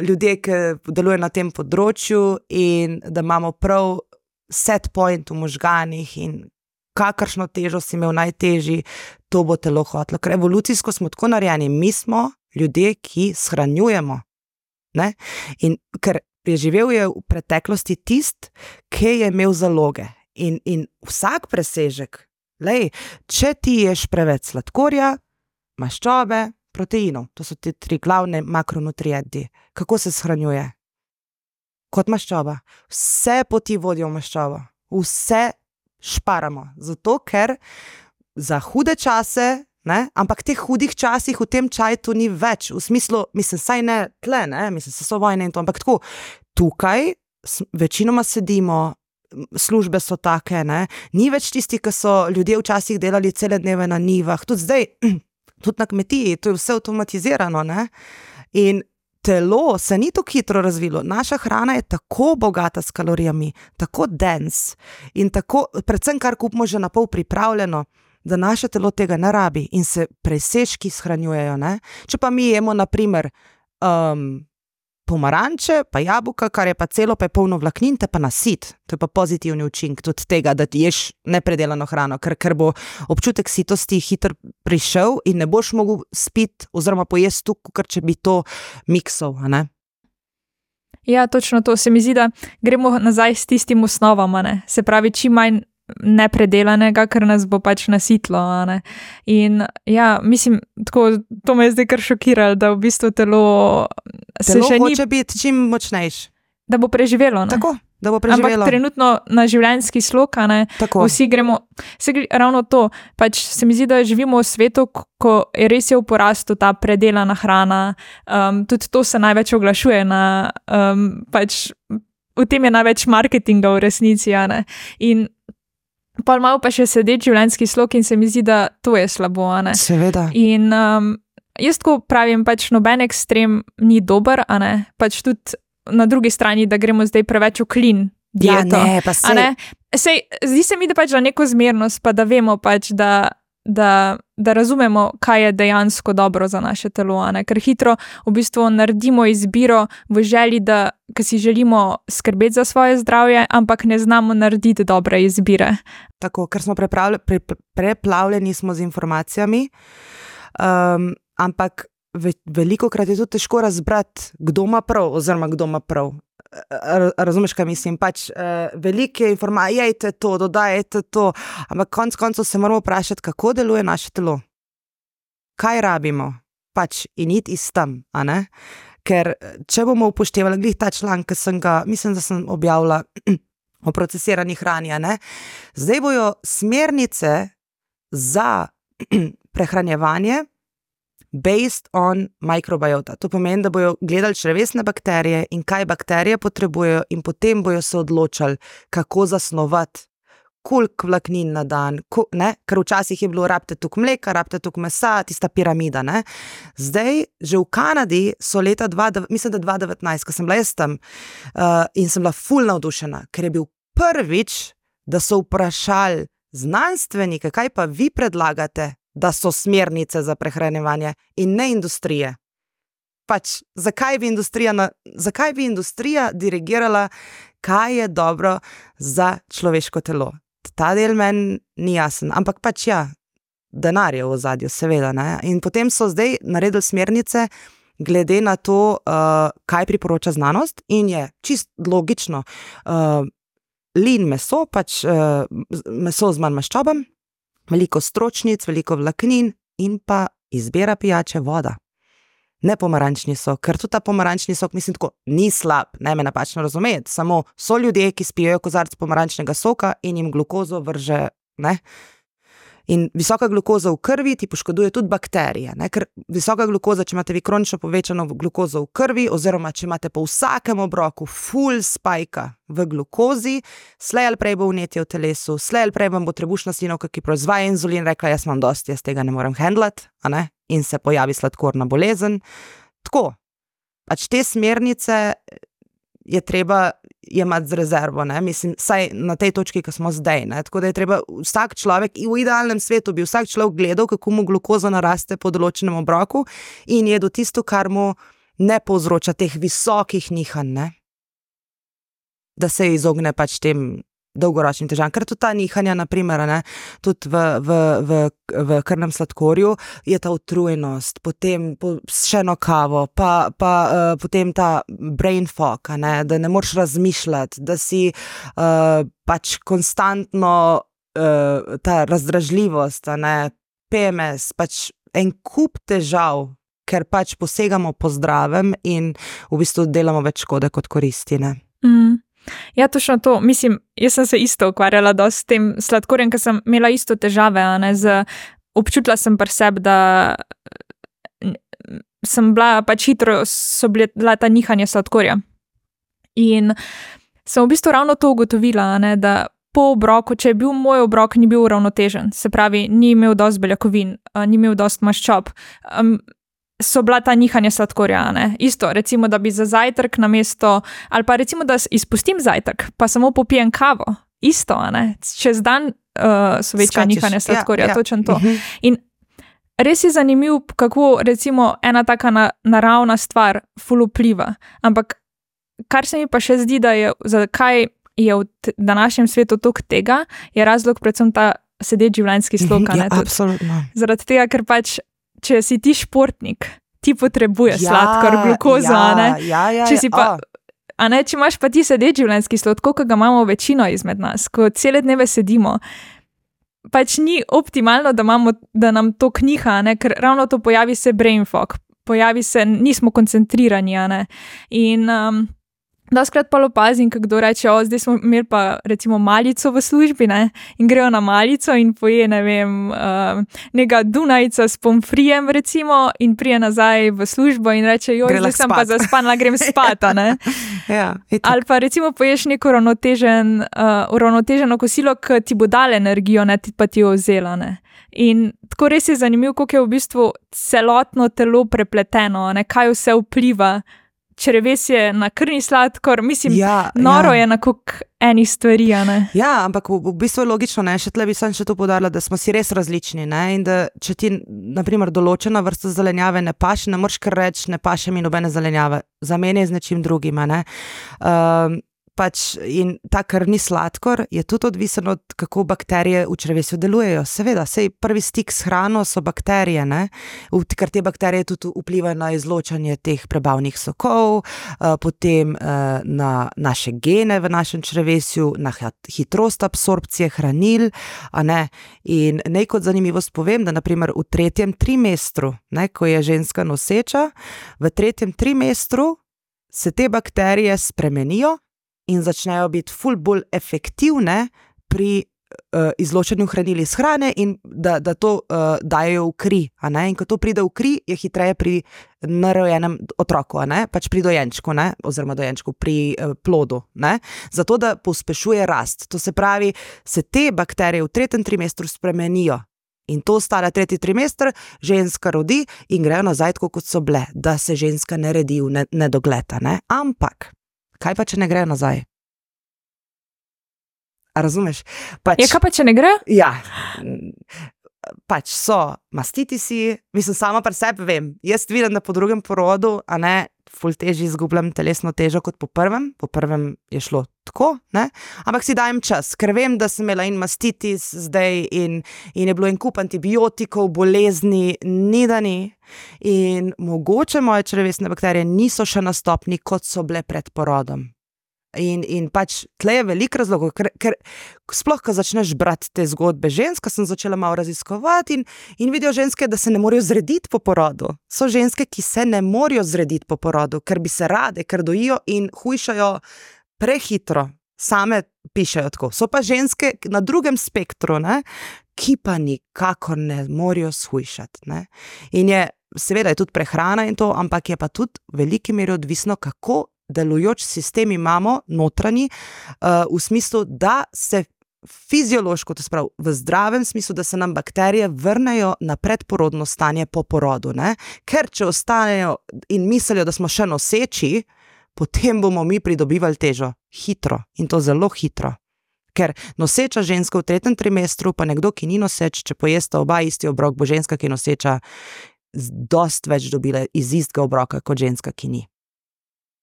ljudje, ki delujejo na tem področju in da imamo prav set point v možganih in kakršno težo si imel najtežji, to bo telo hotlo. Ker evolucijsko smo tako narejeni, mi smo ljudje, ki shranjujemo. Ne? In ker preživel je v preteklosti tist, ki je imel zaloge. In vsak presežek, lej, če ti ješ preveč sladkorja, maščobe, proteinov, to so ti 3 glavne makronutrienti. Kako se shranjuje? Kot maščoba. Vse poti vodijo v maščobo. Vse šparamo. Zato, ker za hude čase, ne, ampak teh hudih časih v tem čaju ni več. V smislu, mislim, saj ne tle, ne, mislim, se so vojne in to, ampak tako, tukaj večinoma sedimo, službe so take, ne, ni več tisti, ki so ljudje včasih delali cele dneve na njivah, tudi zdaj, tudi na kmetiji, to je vse avtomatizirano, ne, in telo se ni tako hitro razvilo, naša hrana je tako bogata s kalorijami, tako dense in tako, predvsem kar kupimo že na pol pripravljeno, da naše telo tega ne rabi in se presežki shranjujejo, ne, če pa mi jemo, na primer, pomaranče, pa jabolka, kar je pa celo, pa je polno vlaknin, te pa nasit. To je pa pozitivni učinek tudi tega, da ti ješ nepredelano hrano, ker bo občutek sitosti hitro prišel in ne boš mogel spiti oziroma pojesti tukaj, ker če bi to miksal, a ne? Ja, točno to. Se mi zdi, da gremo nazaj s tistim osnovama, ne? Se pravi, čim manj nepredelanega, ker nas bo pač nasitlo, ne? In ja, mislim, tako, to me je zdaj kar šokiralo, da v bistvu telo se še ni... hoče biti čim močnejši. Da bo preživelo, ne? Tako, da bo preživelo. Ampak trenutno na življenjski slog, ne? Tako. Vsi gremo, ravno to, pač se mi zdi, da živimo v svetu, ko je res v porastu ta predelana hrana, tudi to se največ oglašuje na, pač v tem je največ marketinga v resnici, ne? In pol malo pa še sedeč življenjski slog in se mi zdi, da to je slabo, ne? Seveda. In jaz tako pravim, pač noben ekstrem ni dober, a ne? Pač tudi na drugi strani, da gremo zdaj preveč v clean dieto. Ja, ne, pa sej. Sej, zdi se mi, da pač za neko zmernost, pa da vemo pač, da razumemo, kaj je dejansko dobro za naše telo, a ne? Ker hitro v bistvu naredimo izbiro v želji, da ker si želimo skrbeti za svoje zdravje, ampak ne znamo narediti dobre izbire. Tako, ker smo preplavljeni smo z informacijami, ampak velikokrat je tudi težko razbrati, kdo ima prav, oziroma kdo ima prav. Razumeš, kaj mislim? Pač velike informacije, jejte to, dodajte to, ampak konec koncev se moramo vprašati, kako deluje naše telo. Kaj rabimo? Pač in iti iz tam, a ne? Ker če bomo upoštevali, glih ta članek, ki sem ga, mislim, da sem objavila o procesirani hrani, a ne? Zdaj bojo smernice za prehranjevanje based on microbiota. To pomeni, da bojo gledali črevesne bakterije in kaj bakterije potrebujejo in potem bojo se odločali, kako zasnovati koliko vlaknin na dan, ker včasih je bilo rabite toliko mleka, rabite toliko mesa, tista piramida, ne. Zdaj, že v Kanadi so leta 2019, ko sem bila jaz tam, in sem bila ful navdušena, ker je bil prvič, da so vprašali znanstvenike, kaj pa vi predlagate, da so smernice za prehranjevanje in ne industrije. Pač, zakaj bi industrija dirigirala, kaj je dobro za človeško telo. Ta del meni ni jasen, ampak pač ja, denar je v ozadju, seveda, ne. In potem so zdaj naredili smernice glede na to, kaj priporoča znanost in je čist logično, lean meso, pač meso z manj maščobami, veliko stročnic, veliko vlaknin in pa izbira pijače voda. Ne pomarančni sok, ker tudi ta pomarančni sok, mislim tako, ni slab, ne me napačno razumeti, samo so ljudje, ki spijejo kozarec pomarančnega soka in jim glukozo vrže, ne. In visoka glukoza v krvi ti poškoduje tudi bakterije, ne, ker visoka glukoza, če imate vi kronično povečano glukozo v krvi, oziroma če imate po vsakem obroku full spajka v glukozi, slej ali prej bo vnetje v telesu, slej ali prej vam bo trebušna slinavka, ki proizvaja inzulin, rekla, jaz imam dosti, jaz tega ne morem handlati, a ne, in se pojavi sladkorna bolezen. Tako, pač te smernice je treba jemati z rezervo, ne, mislim, saj na tej točki, ko smo zdaj, ne, tako da je treba vsak človek, v idealnem svetu bi vsak človek gledal, kako mu glukoza naraste po določenem obroku in jedel tisto, kar mu ne povzroča teh visokih nihanj, ne, da se izogne pač tem dolgoročnim težavam, ker tudi ta nihanja, na primer, ne, tudi v krvnem sladkorju je ta utrujenost, potem še eno kavo, pa potem ta brain fog, ne, da ne moreš razmišljati, da si pač konstantno ta razdražljivost, ne, PMS, pač en kup težav, ker pač posegamo po zdravem in v bistvu delamo več škode kot koristi, ne. Ja, točno to. Mislim, jaz sem se isto ukvarjala dosti s tem sladkorjem, ker sem imela isto težave, ne, občutila sem pri sebi, da sem bila pač hitro, so bila ta nihanja sladkorja. In sem v bistvu ravno to ugotovila, ne, da po obroku, če je bil moj obrok, ni bil uravnotežen, se pravi, ni imel dosti beljakovin, ni imel dosti maščob, so bila ta nihanja sladkorja, ne. Isto, recimo, da bi za zajtrk namesto, ali pa recimo, da izpustim zajtrk, pa samo popijem kavo. Isto, ne. Čez dan so večja nihanja sladkorja, točno to. In res je zanimiv, kako recimo ena taka naravna stvar ful vpliva. Ampak kar se mi pa še zdi, da je, zakaj je v današnjem svetu toliko tega, je razlog predvsem ta sedeč življenjski slog, ne. Absolutno. Zaradi tega, ker pač če si ti športnik, ti potrebuješ sladkor, glukozo, ne? Če si pa, a ne, če imaš pa ti sedeč življenjski slog, koliko ga imamo večino izmed nas, ko cele dneve sedimo, pač ni optimalno, da nam to kniha, ne? Ker ravno to pojavi se brain fog, pojavi se, nismo koncentrirani, a ne? In doskrat pa opazim, ko kdo reče, zdaj smo imeli pa recimo malico v službi, ne, in grejo na malico in poje, ne vem, neka Dunajca s pomfrijem recimo in prije nazaj v službo in reče, zdaj sem pa zaspana, grem spat, ne. Ja, ali pa recimo poješ neko uravnoteženo kosilo, ki ti bo dalo energijo, ne, pa ti jo vzela, ne. In tako res je zanimivo, koliko je v bistvu celotno telo prepleteno, ne, kaj vse vpliva, črevesje na krvni sladkor, mislim, noro je na koliko enih stvari, ne? Ja, ampak v bistvu je logično, ne, še tle bi sem še to poudarila, da smo si res različni, ne, in da če ti, na primer, določena vrsta zelenjave ne paše, ne moreš kar reči, ne paše mi nobene zelenjave, zamenjaj z nečim drugim, ne. Pač in ta krvni sladkor je tudi odvisen od, kako bakterije v črevesju delujejo. Seveda, sej prvi stik s hrano so bakterije, ne, ker te bakterije tudi vplivajo na izločanje teh prebavnih sokov, potem na naše gene v našem črevesju, na hitrost absorpcije hranil, a ne, in naj kot zanimivost povem, da na primer v 3. trimestru, ne, ko je ženska noseča, v 3. trimestru se te bakterije spremenijo in začnejo biti ful bolj efektivne pri izločanju hranil iz hrane in da to dajo v kri. In ko to pride v kri, je hitreje pri nerojenem otroku, pač pri dojenčku, oziroma dojenčku pri plodu. Zato, da pospešuje rast. To se pravi, se te bakterije v 3. trimestru spremenijo. In to ostane 3. trimester, ženska rodi in grejo nazaj, tako kot so bile, da se ženska ne redi v nedogled. Ampak, kaj pa, če ne grejo nazaj? A razumeš? Kaj pa, če ne gre? Ja, pač so mastitisi, mislim, sama pri sebi vem. Jaz vidim, da po drugem porodu, ful težje izgubljam telesno težo kot po prvem. Po prvem je šlo tako, ampak si dajem čas, ker vem, da sem imela in mastitis zdaj in je bilo en kup antibiotikov, bolezni, ni da ni. In mogoče moje črevesne bakterije niso še na stopni, kot so bile pred porodom. In pač tle je veliko razlogov, ker sploh, ko začneš brati te zgodbe žensk, sem začela malo raziskovati in vidijo ženske, da se ne morejo zrediti po porodu. So ženske, ki se ne morejo zrediti po porodu, ker bi se rade, ker dojijo in hujšajo prehitro. Same pišejo tako. So pa ženske na drugem spektru, ki pa nikakor ne morejo shujšati. In seveda je tudi prehrana in to, ampak je pa tudi v veliki meri odvisno, kako delujoč sistem imamo notranji, v smislu, da se fiziološko, to se pravi v zdravem smislu, da se nam bakterije vrnejo na predporodno stanje po porodu. Ker če ostanejo in mislijo, da smo še noseči, potem bomo mi pridobivali težo hitro in to zelo hitro. Ker noseča ženska v 3. trimestru, pa nekdo, ki ni noseč, če pojesta oba isti obrok, bo ženska, ki je noseča, dosti več dobila iz istega obroka kot ženska, ki ni.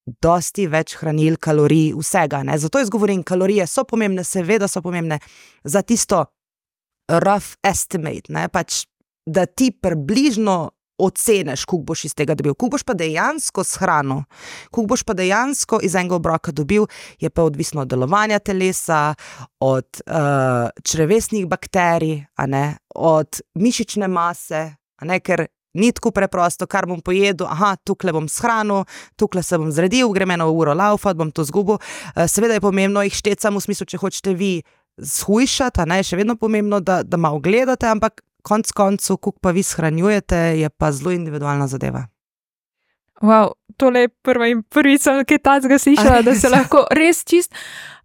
Dosti več hranil, kalorij, vsega. Zato jaz govorim, kalorije so pomembne, seveda so pomembne za tisto rough estimate, pač, da ti približno oceniš, koliko boš iz tega dobil. Koliko boš pa dejansko shranil, koliko boš pa dejansko iz enega obroka dobil, je pa odvisno od delovanja telesa, od črevesnih bakterij, od mišične mase, ker ni tako preprosto, kar bom pojedel, tukaj bom shranil, tukaj se bom zredil, grem eno uro laufat, bom to zgubil. Seveda je pomembno jih šteti samo v smislu, če hočete vi shujšati, je še vedno pomembno, da malo gledate, ampak konc koncu, koliko pa vi shranjujete, je pa zelo individualna zadeva. Wow, tole je prvič sem kaj tacga slišala, da se lahko res čist...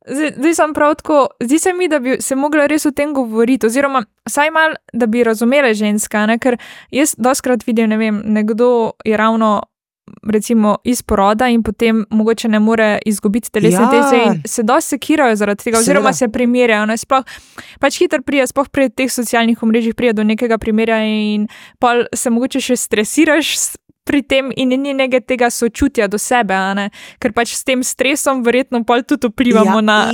Zdaj sem prav tako, zdi se mi, da bi se mogla res o tem govoriti, oziroma vsaj malo, da bi razumele ženska, ker jaz dostkrat vidim, nekdo je ravno recimo iz poroda in potem mogoče ne more izgubiti telesne teže in se dosti sekirajo zaradi tega, oziroma se primerjajo, sploh pač hitro prije, sploh pri teh socialnih omrežjih prije do nekega primerja in pol se mogoče še stresiraš pri tem in ni nekaj tega sočutja do sebe, ker pač s tem stresom verjetno pol tudi vplivamo na...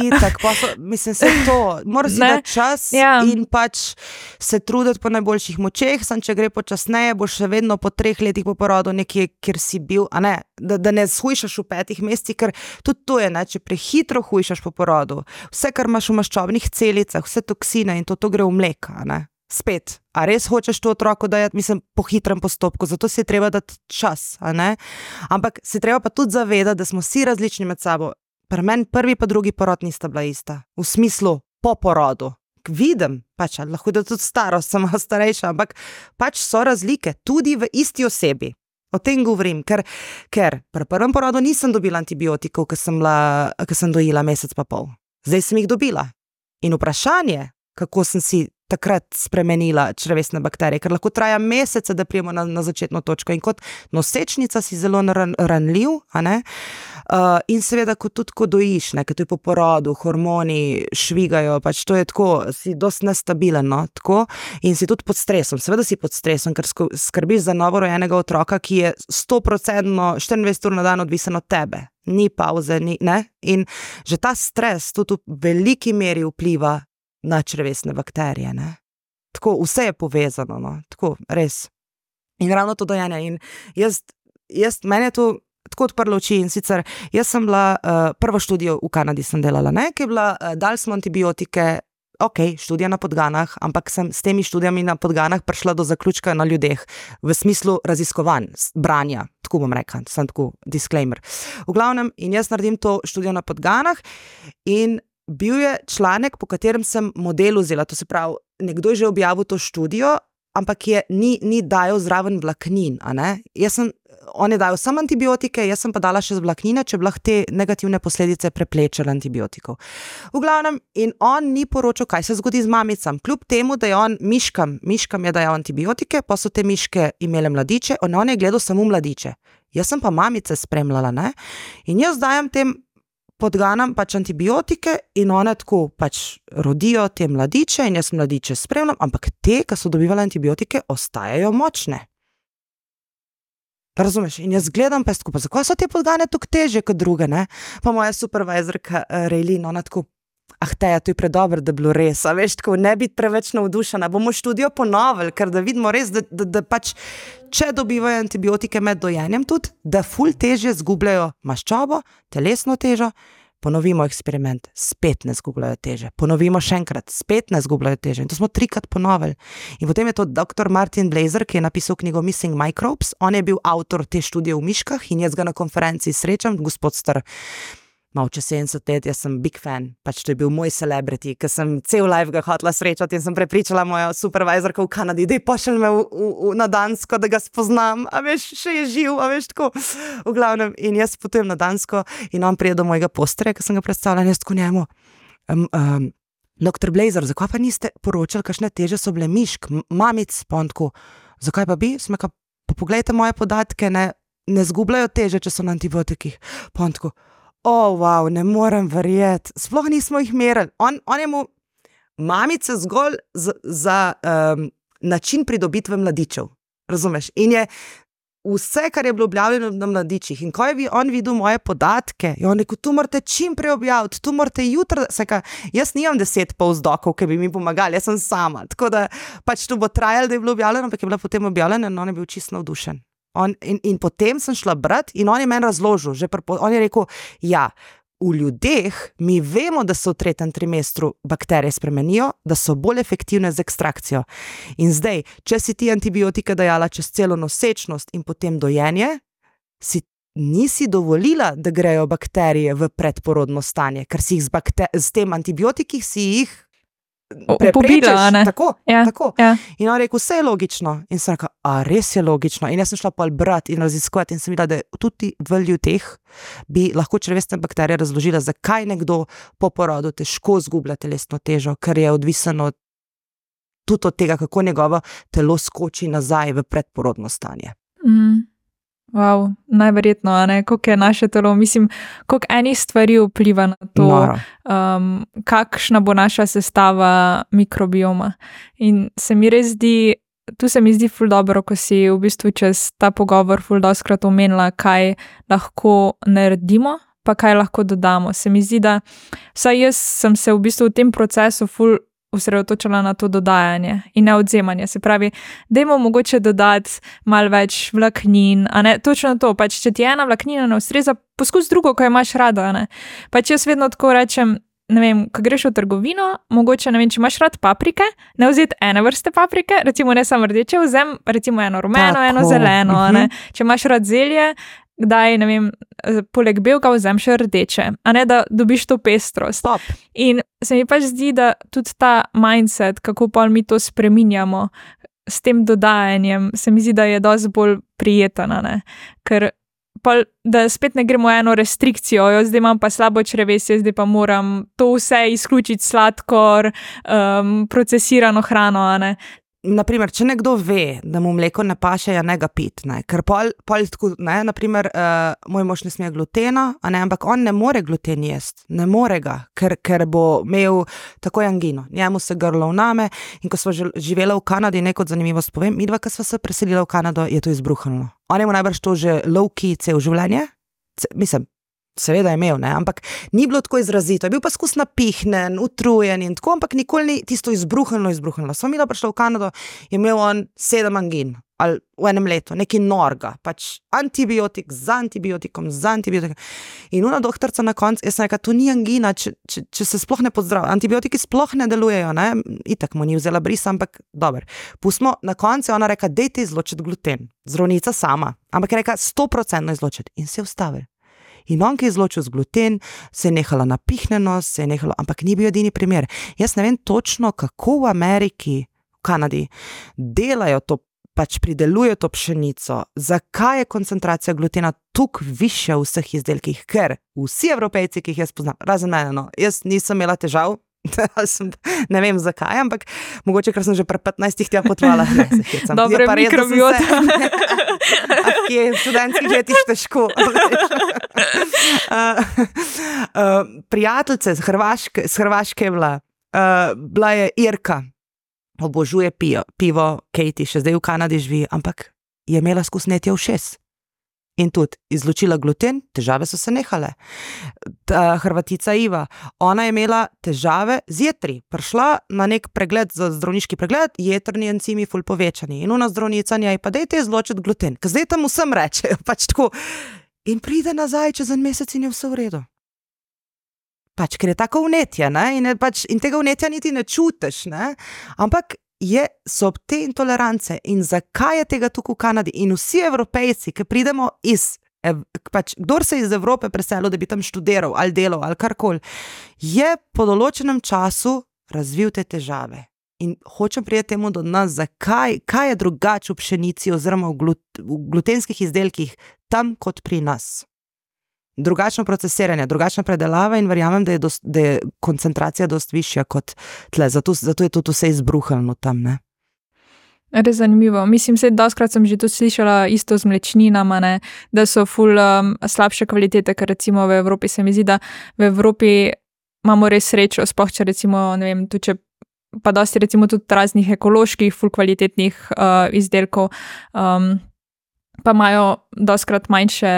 Mislim, se to, mora si dati čas in pač se truditi po najboljših močeh, če gre počasneje, boš še vedno po 3 letih po porodu nekje, kjer si bil, da ne shujšaš v 5 mesecih, ker tudi to je, če prehitro hujšaš po porodu, vse, kar imaš v maščobnih celicah, vse toksine in to gre v mleka, Spet, a res hočeš to otroku dajati, mislim, po hitrem postopku, zato si je treba dati čas, ampak se treba pa tudi zavedati, da smo vsi različni med sabo. Pri meni prvi pa drugi porod nista bila ista, v smislu po porodu. Vidim, pač, lahko da tudi starost, sem starejša, ampak pač so razlike, tudi v isti osebi. O tem govorim, ker pri prvem porodu nisem dobila antibiotikov, ko sem dojila mesec pa pol. Zdaj sem jih dobila. In vprašanje, kako sem si takrat spremenila črevesne bakterije, ker lahko traja mesece, da prijemo na začetno točko in kot nosečnica si zelo ranljiv, in seveda tudi ko dojiš, ker to je po porodu, hormoni švigajo, pač to je tako, si dosti nestabilen, tako, in si tudi pod stresom, seveda si pod stresom, ker skrbiš za novorojenega otroka, ki je 100% 24 ur na dan odvisen od tebe, ni pauze, in že ta stres tudi v veliki meri vpliva na črevesne bakterije, Tako, vse je povezano, Tako, res. In ravno to dojenje. In meni je to tako odprlo oči in sicer, jaz sem bila, prvo študijo v Kanadi sem delala, ki je bila, dali smo antibiotike, študija na podganah, ampak sem s temi študijami na podganah prišla do zaključka na ljudeh, v smislu raziskovanj, branja, tako bom rekla, sem tako disclaimer. V glavnem, in jaz naredim to študijo na podganah in bil je članek, po katerem sem model vzela, to se pravi, nekdo je že objavil to študijo, ampak ni dajal zraven vlaknin, a ne? On je dajal samo antibiotike, jaz sem pa dala še z vlaknine, če bi lahko te negativne posledice preplečili antibiotikov. V glavnem, in on ni poročal, kaj se zgodi z mamicam, kljub temu, da je on miškam je dajal antibiotike, pa so te miške imele mladiče, on je gledal samo mladiče. Jaz sem pa mamice spremljala, ne? In jaz dajam tem podganam pač antibiotike in one tako pač rodijo te mladiče in jaz mladiče spremljam, ampak te, ki so dobivali antibiotike, ostajajo močne. Razumeš? In jaz gledam pa skupaj, zakaj so te podgane tako teže kot druge, ne? Pa moja supervisorka Rejlin, ona tako, Teja, to je predobro, da bilo res, a veš, tako ne biti preveč navdušena, bomo študijo ponovili, ker da vidimo res, da pač, če dobivajo antibiotike med dojenjem tudi, da ful težje zgubljajo maščobo, telesno težo, ponovimo eksperiment, spet ne zgubljajo teže, ponovimo še enkrat, spet ne zgubljajo teže in to smo 3krat ponovili. In potem je to dr. Martin Blazer, ki je napisal knjigo Missing Microbes, on je bil avtor te študije v miškah in jaz ga na konferenci srečam, gospod star, malo čez 70 let, jaz sem big fan, pač to je bil moj celebrity, ker sem cel life ga hotela srečati in sem prepričala mojo supervisorko v Kanadi, dej pošelj me na Dansko, da ga spoznam, a veš, še je živ, a veš, tako, v glavnem, in jaz potujem na Dansko in on prije do mojega posterja, ker sem ga predstavljala, jaz tako njemu, dr. Blazer, zakaj pa niste poročali, kakšne teže so bile mišk, mamic, pa on tako, zakaj pa bi, pa poglejte moje podatke, ne zgubljajo teže, če so na antibiotikih, pa on tako, wow, ne morem verjeti, sploh nismo jih merili. On je mu mamice zgolj za način pridobitve mladičev, razumeš? In je vse, kar je bilo objavljeno na mladičih in ko je on videl moje podatke, je on rekel, tu morate čim prej objaviti, tu morate jutri, jaz nimam 10 postdokov, ki bi mi pomagali, jaz sem sama, tako da pač to bo trajalo, da je bilo objavljeno, ampak je bila potem objavljena in on je bil čisto navdušen. In potem sem šla brati in on je meni razložil, on je rekel, ja, v ljudeh mi vemo, da se v 3. trimestru bakterije spremenijo, da so bolj efektivne z ekstrakcijo. In zdaj, če si ti antibiotike dajala čez celo nosečnost in potem dojenje, nisi dovolila, da grejo bakterije v predporodno stanje, ker si jih z tem antibiotikih si jih pobila, ne? Tako. Ja. In on rekel, vse je logično. In sem rekel, res je logično. In jaz sem šla pa brati in raziskovati in sem videla, da tudi v ljudeh bi lahko črevesne bakterije razložila, zakaj nekdo po porodu težko zgublja telesno težo, ker je odvisno tudi od tega, kako njegovo telo skoči nazaj v predporodno stanje. Wow, najverjetno, ne, koliko je naše telo, mislim, koliko enih stvari vpliva na to, kakšna bo naša sestava mikrobioma. In se mi res zdi, tu se mi zdi ful dobro, ko si v bistvu čez ta pogovor ful doskrat omenila, kaj lahko naredimo, pa kaj lahko dodamo. Se mi zdi, da vsaj jaz sem se v bistvu v tem procesu ful osredotočila na to dodajanje in ne odzemanje. Se pravi, dajmo mogoče dodati malo več vlaknin, a ne, točno to, pač če ti ena vlaknina ne ustreza, poskus drugo, ko jo imaš rada, a ne. Pač jaz vedno tako rečem, ne vem, ko greš v trgovino, mogoče, ne vem, če imaš rad paprike, ne vzeti ene vrste paprike, recimo ne samo rdeče, vzem recimo eno rumeno, eno zeleno, a ne. Če imaš rad zelje, kdaj, ne vem, poleg belka vzem še rdeče, a ne, da dobiš to pestrost. Stop. In se mi pač zdi, da tudi ta mindset, kako pa mi to spreminjamo s tem dodajanjem, se mi zdi, da je dosti bolj prijeten, a ne, ker pa, da spet ne gremo eno restrikcijo, zdaj imam pa slabo črevesje, zdaj pa moram to vse izključiti, sladkor, procesirano hrano, a ne. Naprimer, če nekdo ve, da mu mleko ne paše, ja ne ga pit, ne, ker pol tako, ne, naprimer, moj mož ne sme glutena, a ne, ampak on ne more gluten jesti, ne more ga, ker bo imel takoj angino, njemu se grlo vname in ko smo živela v Kanadi, nekaj zanimivost povem, midva, ko sva se preselila v Kanado, je to izbruhnilo. On je mu najbrž to že low-key cel življenje, mislim, seveda je imel, ne, ampak ni bilo tako izrazito, je bil pa skus napihnen, utrujen in tako, ampak nikoli ni tisto izbruhnilo. Sva mi da prišla v Kanado, je imel on 7 angin, ali v enem letu, neki norga, pač antibiotik za antibiotikom. In ona doktorca na koncu, jaz sem rekla, to ni angina, če se sploh ne pozdravi, antibiotiki sploh ne delujejo, ne, itak mu ni vzela brisa, ampak dober. Pustimo, na koncu je ona rekla, dejte izločiti gluten, zdravnica sama, ampak je rekla 100% izločiti in se je ustavil. In on, ki je izločil z gluten, se je nehala napihnjenost, se je nehalo, ampak ni bil edini primer. Jaz ne vem točno, kako v Ameriki, v Kanadi, delajo to, pač pridelujejo to pšenico, zakaj je koncentracija glutena toliko višja v vseh izdelkih, ker vsi Evropejci, ki jih jaz poznam, razen mene, no, jaz nisem imela težav, ne vem zakaj, ampak mogoče, ker sem že pri 15 tja potovala. Dobro, mikrobiota. Je v študentskih letih težko. Prijateljice z Hrvaške je bila je Irka, obožuje pivo, Katie, še zdaj v Kanadi živi, ampak je imela skusnetje ušes. In tudi izločila gluten, težave so se nehale. Hrvatica Iva, ona je imela težave z jetri. Prišla na nek pregled, za zdravniški pregled, jetrni encimi ful povečani. In ona zdravnica njej, pa dajte izločiti gluten. Ker zdaj tam vsem rečejo, pač tako. In pride nazaj čez en mesec in je vse v redu. Pač, ker je tako vnetje, ne? In tega vnetja niti ne čutiš, ne? Ampak so te intolerance in zakaj je tega tukaj v Kanadi in vsi Evropejci, ki pridemo kdor se iz Evrope preselil, da bi tam študiral ali delal ali karkoli, je po določenem času razvil te težave. In hočem priti temu do nas, kaj je drugače v pšenici oziroma v glutenskih izdelkih tam kot pri nas. Drugačno procesiranje, drugačna predelava in verjamem, da je koncentracija dost višja kot tle, zato je tudi vse izbruhano tam, ne. Res zanimivo. Mislim, doskrat sem že tudi slišala isto z mlečninama, ne, da so ful slabše kvalitete, ker recimo v Evropi se mi zdi, da v Evropi imamo res srečo, sploh če recimo, ne vem, tudi če pa dosti recimo tudi raznih ekoloških, ful kvalitetnih izdelkov, pa imajo doskrat manjše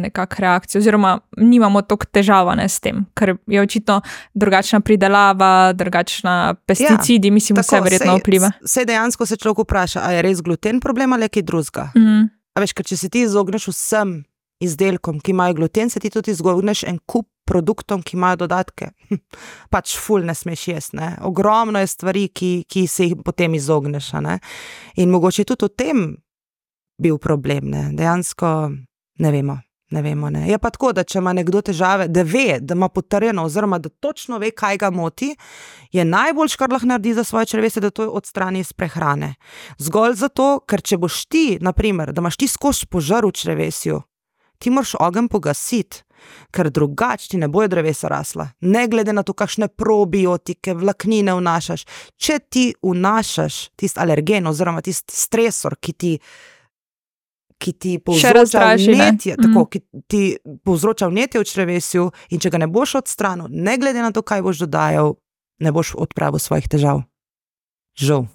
nekak reakcije, oziroma nimamo toliko težavane s tem, ker je očitno drugačna pridelava, drugačna pesticidi, mislim, vse verjetno vpliva. Sej dejansko se človek vpraša, a je res gluten problem ali je kaj drugega. A veš, ker če se ti izogneš vsem izdelkom, ki imajo gluten, se ti tudi izogneš en kup produktom, ki imajo dodatke. Pač ful ne smeš jesti, ne. Ogromno je stvari, ki se jih potem izogneš, ne. In mogoče tudi v tem bil problem, ne. Dejansko ne vemo, ne. Je pa tako, da če ima nekdo težave, da ve, da ima potrjeno, oziroma da točno ve, kaj ga moti, je najboljš, kar lahko naredi za svoje črevesje, da to odstrani iz prehrane. Zgolj zato, ker če boš ti, na primer, da imaš ti skozi požar v črevesju, ti moraš ogenj pogasiti, ker drugače ti ne bojo drevesa rasla. Ne glede na to, kakšne probiotike, vlaknine vnašaš. Če ti vnašaš tisti alergen oziroma tisti stresor, ki ti povzroča vnetje, ki ti povzroča vnetje v črevesju, in če ga ne boš odstranil, ne glede na to, kaj boš dodajal, ne boš odpravil svojih težav. Žal.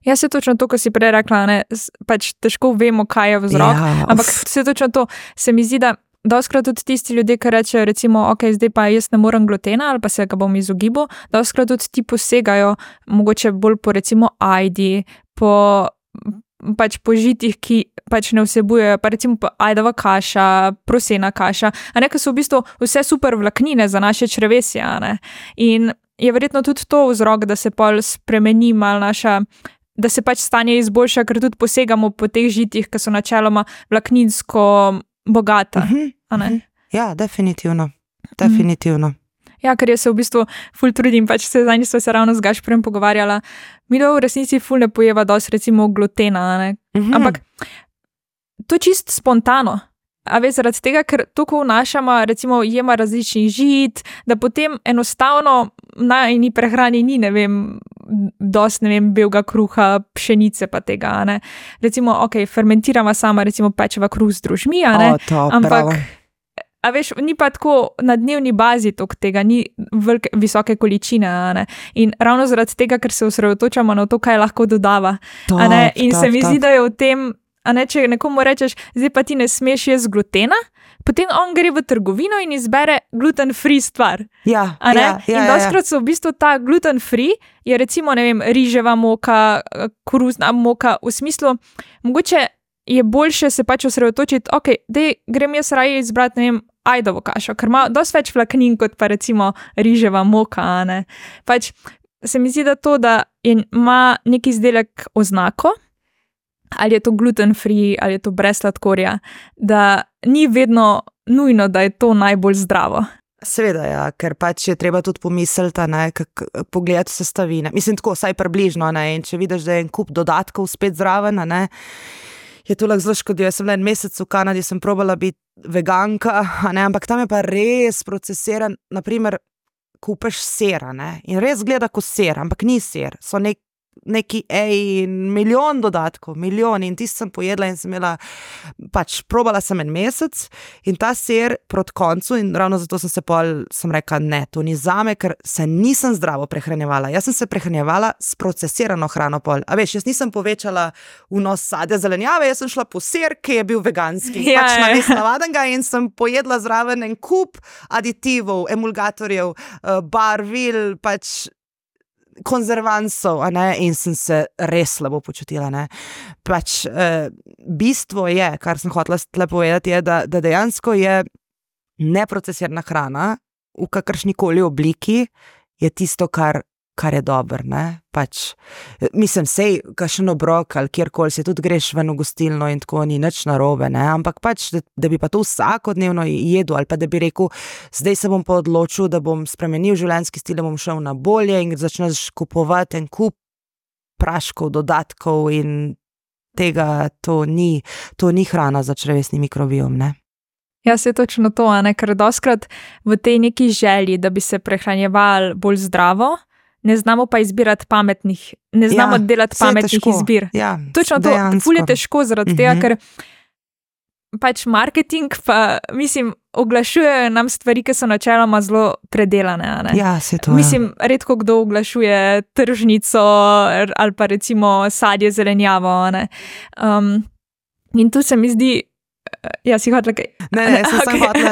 Jaz se točno to, ko si prej rekla, ne, pač težko vemo, kaj je vzrok, ampak se točno to, se mi zdi, da doskrat tudi tisti ljudje, ki rečejo recimo, ok, zdaj pa jaz ne morem glutena ali pa se ga bom izogibal, doskrat tudi ti posegajo mogoče bolj po recimo ajdi, po žitih, ki pač ne vsebujejo, pa recimo ajdova kaša, prosena kaša, a ne, ki so v bistvu vse super vlaknine za naše črevesje, a ne. In je verjetno tudi to vzrok, da se pol spremeni malo da se pač stanje izboljša, ker tudi posegamo po teh žitih, ki so načeloma vlakninsko bogata, a ne. Ja, definitivno. Ja, ker jaz se v bistvu ful trudim, pač zadnjič sva se ravno z Gašperjem pogovarjala, mi v resnici ful ne pojeva dosti recimo glutena, ne, ampak to čist spontano, a veš, zaradi tega, ker toliko vnašamo, recimo jema različnih žit, da potem enostavno na eni prehrani ni, ne vem, dosti, ne vem, belega kruha, pšenice pa tega, ne. Recimo, ok, fermentirava sama, recimo pečeva kruh z drožmi, a ne, ampak a veš, ni pa tako na dnevni bazi toliko tega, ni visoke količine, a ne. In ravno zaradi tega, ker se osredotočamo na to, kaj lahko dodava, a ne, in se mi zdi, da je v tem, a ne, če nekomu rečeš, zdaj pa ti ne smeš jesti glutena, potem on gre v trgovino in izbere gluten-free stvar. Ja, a ne? Ja. In doskrat so v bistvu ta gluten-free, je recimo, ne vem, riževa moka, koruzna moka, v smislu, mogoče je boljše se pač osredotočiti, ok, dej, grem jaz raje izbrati, ne vem, ajdovo kašo, ker ima dosti več vlaknin kot pa recimo riževa moka, a ne. Pač se mi zdi, da to, da ima neki izdelek oznako, ali je to gluten free, ali je to brez sladkorja, da ni vedno nujno, da je to najbolj zdravo. Seveda, ja, ker pač je treba tudi pomisliti, pogledati sestavine. Mislim, tako, vsaj približno, ne, in če vidiš, da je en kup dodatkov spet zraven, ne, je to lahko zelo škodljivo. Jaz sem bila en mesec v Kanadi, sem probala biti veganka, ne, ampak tam je pa res procesiran, naprimer, kupeš sera, ne, in res gleda kot ser, ampak ni ser, so neki milijon dodatkov, milijon, in tisti sem pojedla in sem imela, pač probala sem en mesec in ta ser proti koncu, in ravno zato sem rekla, ne, to ni zame, ker se nisem zdravo prehranjevala, jaz sem se prehranjevala s procesirano hrano pol, a veš, jaz nisem povečala vnos sadja zelenjave, jaz sem šla po ser, ki je bil veganski, pač namesto navadnega, in sem pojedla zraven en kup aditivov, emulgatorjev, barvil, pač konzervansov, in sem se res slabo počutila. Pač, bistvo je, kar sem hotela tle povedati, je, da dejansko je neprocesirana hrana v kakršnikoli obliki je tisto, kar je dobro. Pač, mislim, sej, kakšen obrok ali kjerkoli se tudi greš ven v gostilno in tako ni nič narobe, ampak pač, da bi pa to vsakodnevno jedel ali pa da bi rekel, zdaj se bom pa odločil, da bom spremenil življenjski stil, da bom šel na bolje in začneš kupovati en kup praškov, dodatkov in tega, to ni hrana za črevesni mikrobiom, ne. Ja, se je točno to, ker dostikrat v tej neki želji, da bi se prehranjevali bolj zdravo, ne znamo pa izbirati pametnih, ne znamo delati pametnih izbir. Ja, točno to, ful je težko zaradi tega, ker pač marketing pa, mislim, oglašujejo nam stvari, ki so načeloma zelo predelane. Ja, se to. Mislim, redko kdo oglašuje tržnico ali pa recimo sadje, zelenjavo. In tu se mi zdi, jaz si hotela kaj... Ne,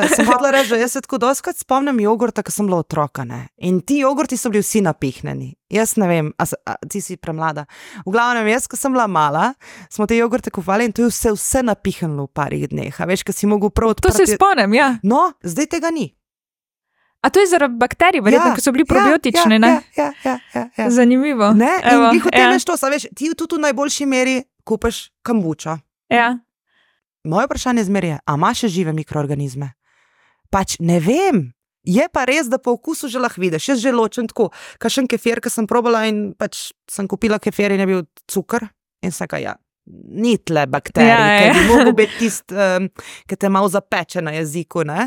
sem hotela reči, da jaz se tako dostikrat spomnim jogurta, ko sem bila otroka, in ti jogurti so bili vsi napihnjeni. Jaz ne vem, ti si premlada. V glavnem, jaz, ko sem bila mala, smo te jogurte kupovali in to je vse napihnilo v parih dneh. A veš, ko si mogel prav odprti... To se spomnim, ja. No, zdaj tega ni. A to je zaradi bakterij, verjetno, ki so bili probiotični, ne? Ja. Zanimivo. Ne, in jih hotel to, veš, ti tudi v najboljši meri kupiš kambučo. Ja. Moje vprašanje zmeraj je, a ima še žive mikroorganizme? Pač ne vem. Je pa res, da po okusu že lahko vidiš. Jaz že ločem tako, kakšen kefir, ki sem probala in pač sem kupila kefir in je bil cukor in sem rekla, ni tle bakterij, ki bi mogel biti tisti, ki te malo zapeče na jeziku, ne?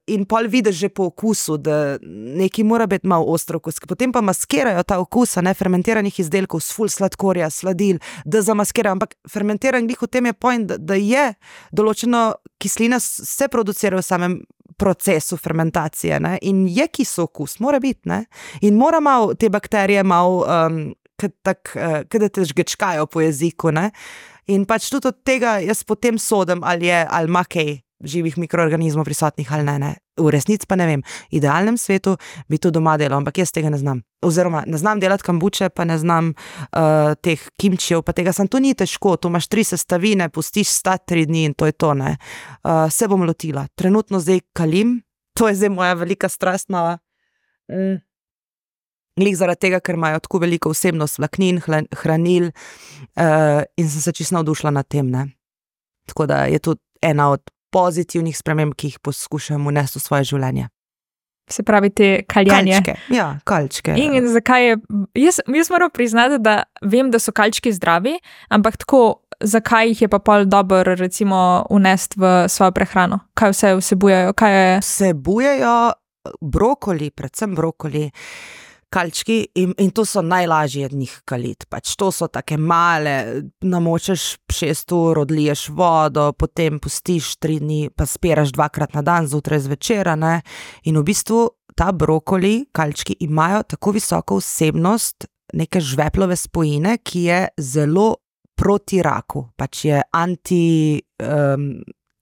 In pol vidiš že po okusu, da nekaj mora biti malo ostro okus, potem pa maskirajo ta okus, fermentiranih izdelkov s ful sladkorja, sladil, da zamaskirajo, ampak fermentiran glih v tem je point, da je določeno kislina se producira v samem procesu fermentacije, ne? In je kisel okus, mora biti, ne? In mora malo te bakterije malo da te žgečkajo po jeziku, ne? In pač tudi od tega jaz potem sodim, ali ima kaj živih mikroorganizmov prisotnih ali ne. V resnici pa ne vem. V idealnem svetu bi to doma delal, ampak jaz tega ne znam. Oziroma, ne znam delati kambuče, pa ne znam teh kimčijev, pa tega to ni težko, to imaš 3 sestavine, pustiš stati 3 dni in to je to, ne. Se bom lotila. Trenutno zdaj kalim, to je zdaj moja velika strast mala. Glih zaradi tega, ker imajo tako veliko vsebnost vlaknin, hranil in sem se čisto navdušila nad tem, ne. Tako da je to ena od pozitivnih sprememb, ki jih poskušam vnesti v svoje življenje. Se pravi te kaljanje. Kalčke, ja, kalčke. In zakaj je, jaz moram priznati, da vem, da so kalčki zdravi, ampak tako, zakaj jih je pa pol dobro recimo vnesti v svojo prehrano? Kaj vse vsebujejo? Vsebujejo brokoli, predvsem brokoli, kalčki in to so najlažje od njih kaliti. Pač to so take male, namočeš 6 ur, odliješ vodo, potem pustiš 3 dni, pa spiraš 2-krat na dan, zjutraj zvečer, ne. In v bistvu ta brokoli, kalčki imajo tako visoko vsebnost neke žveplove spojine, ki je zelo proti raku. Pač je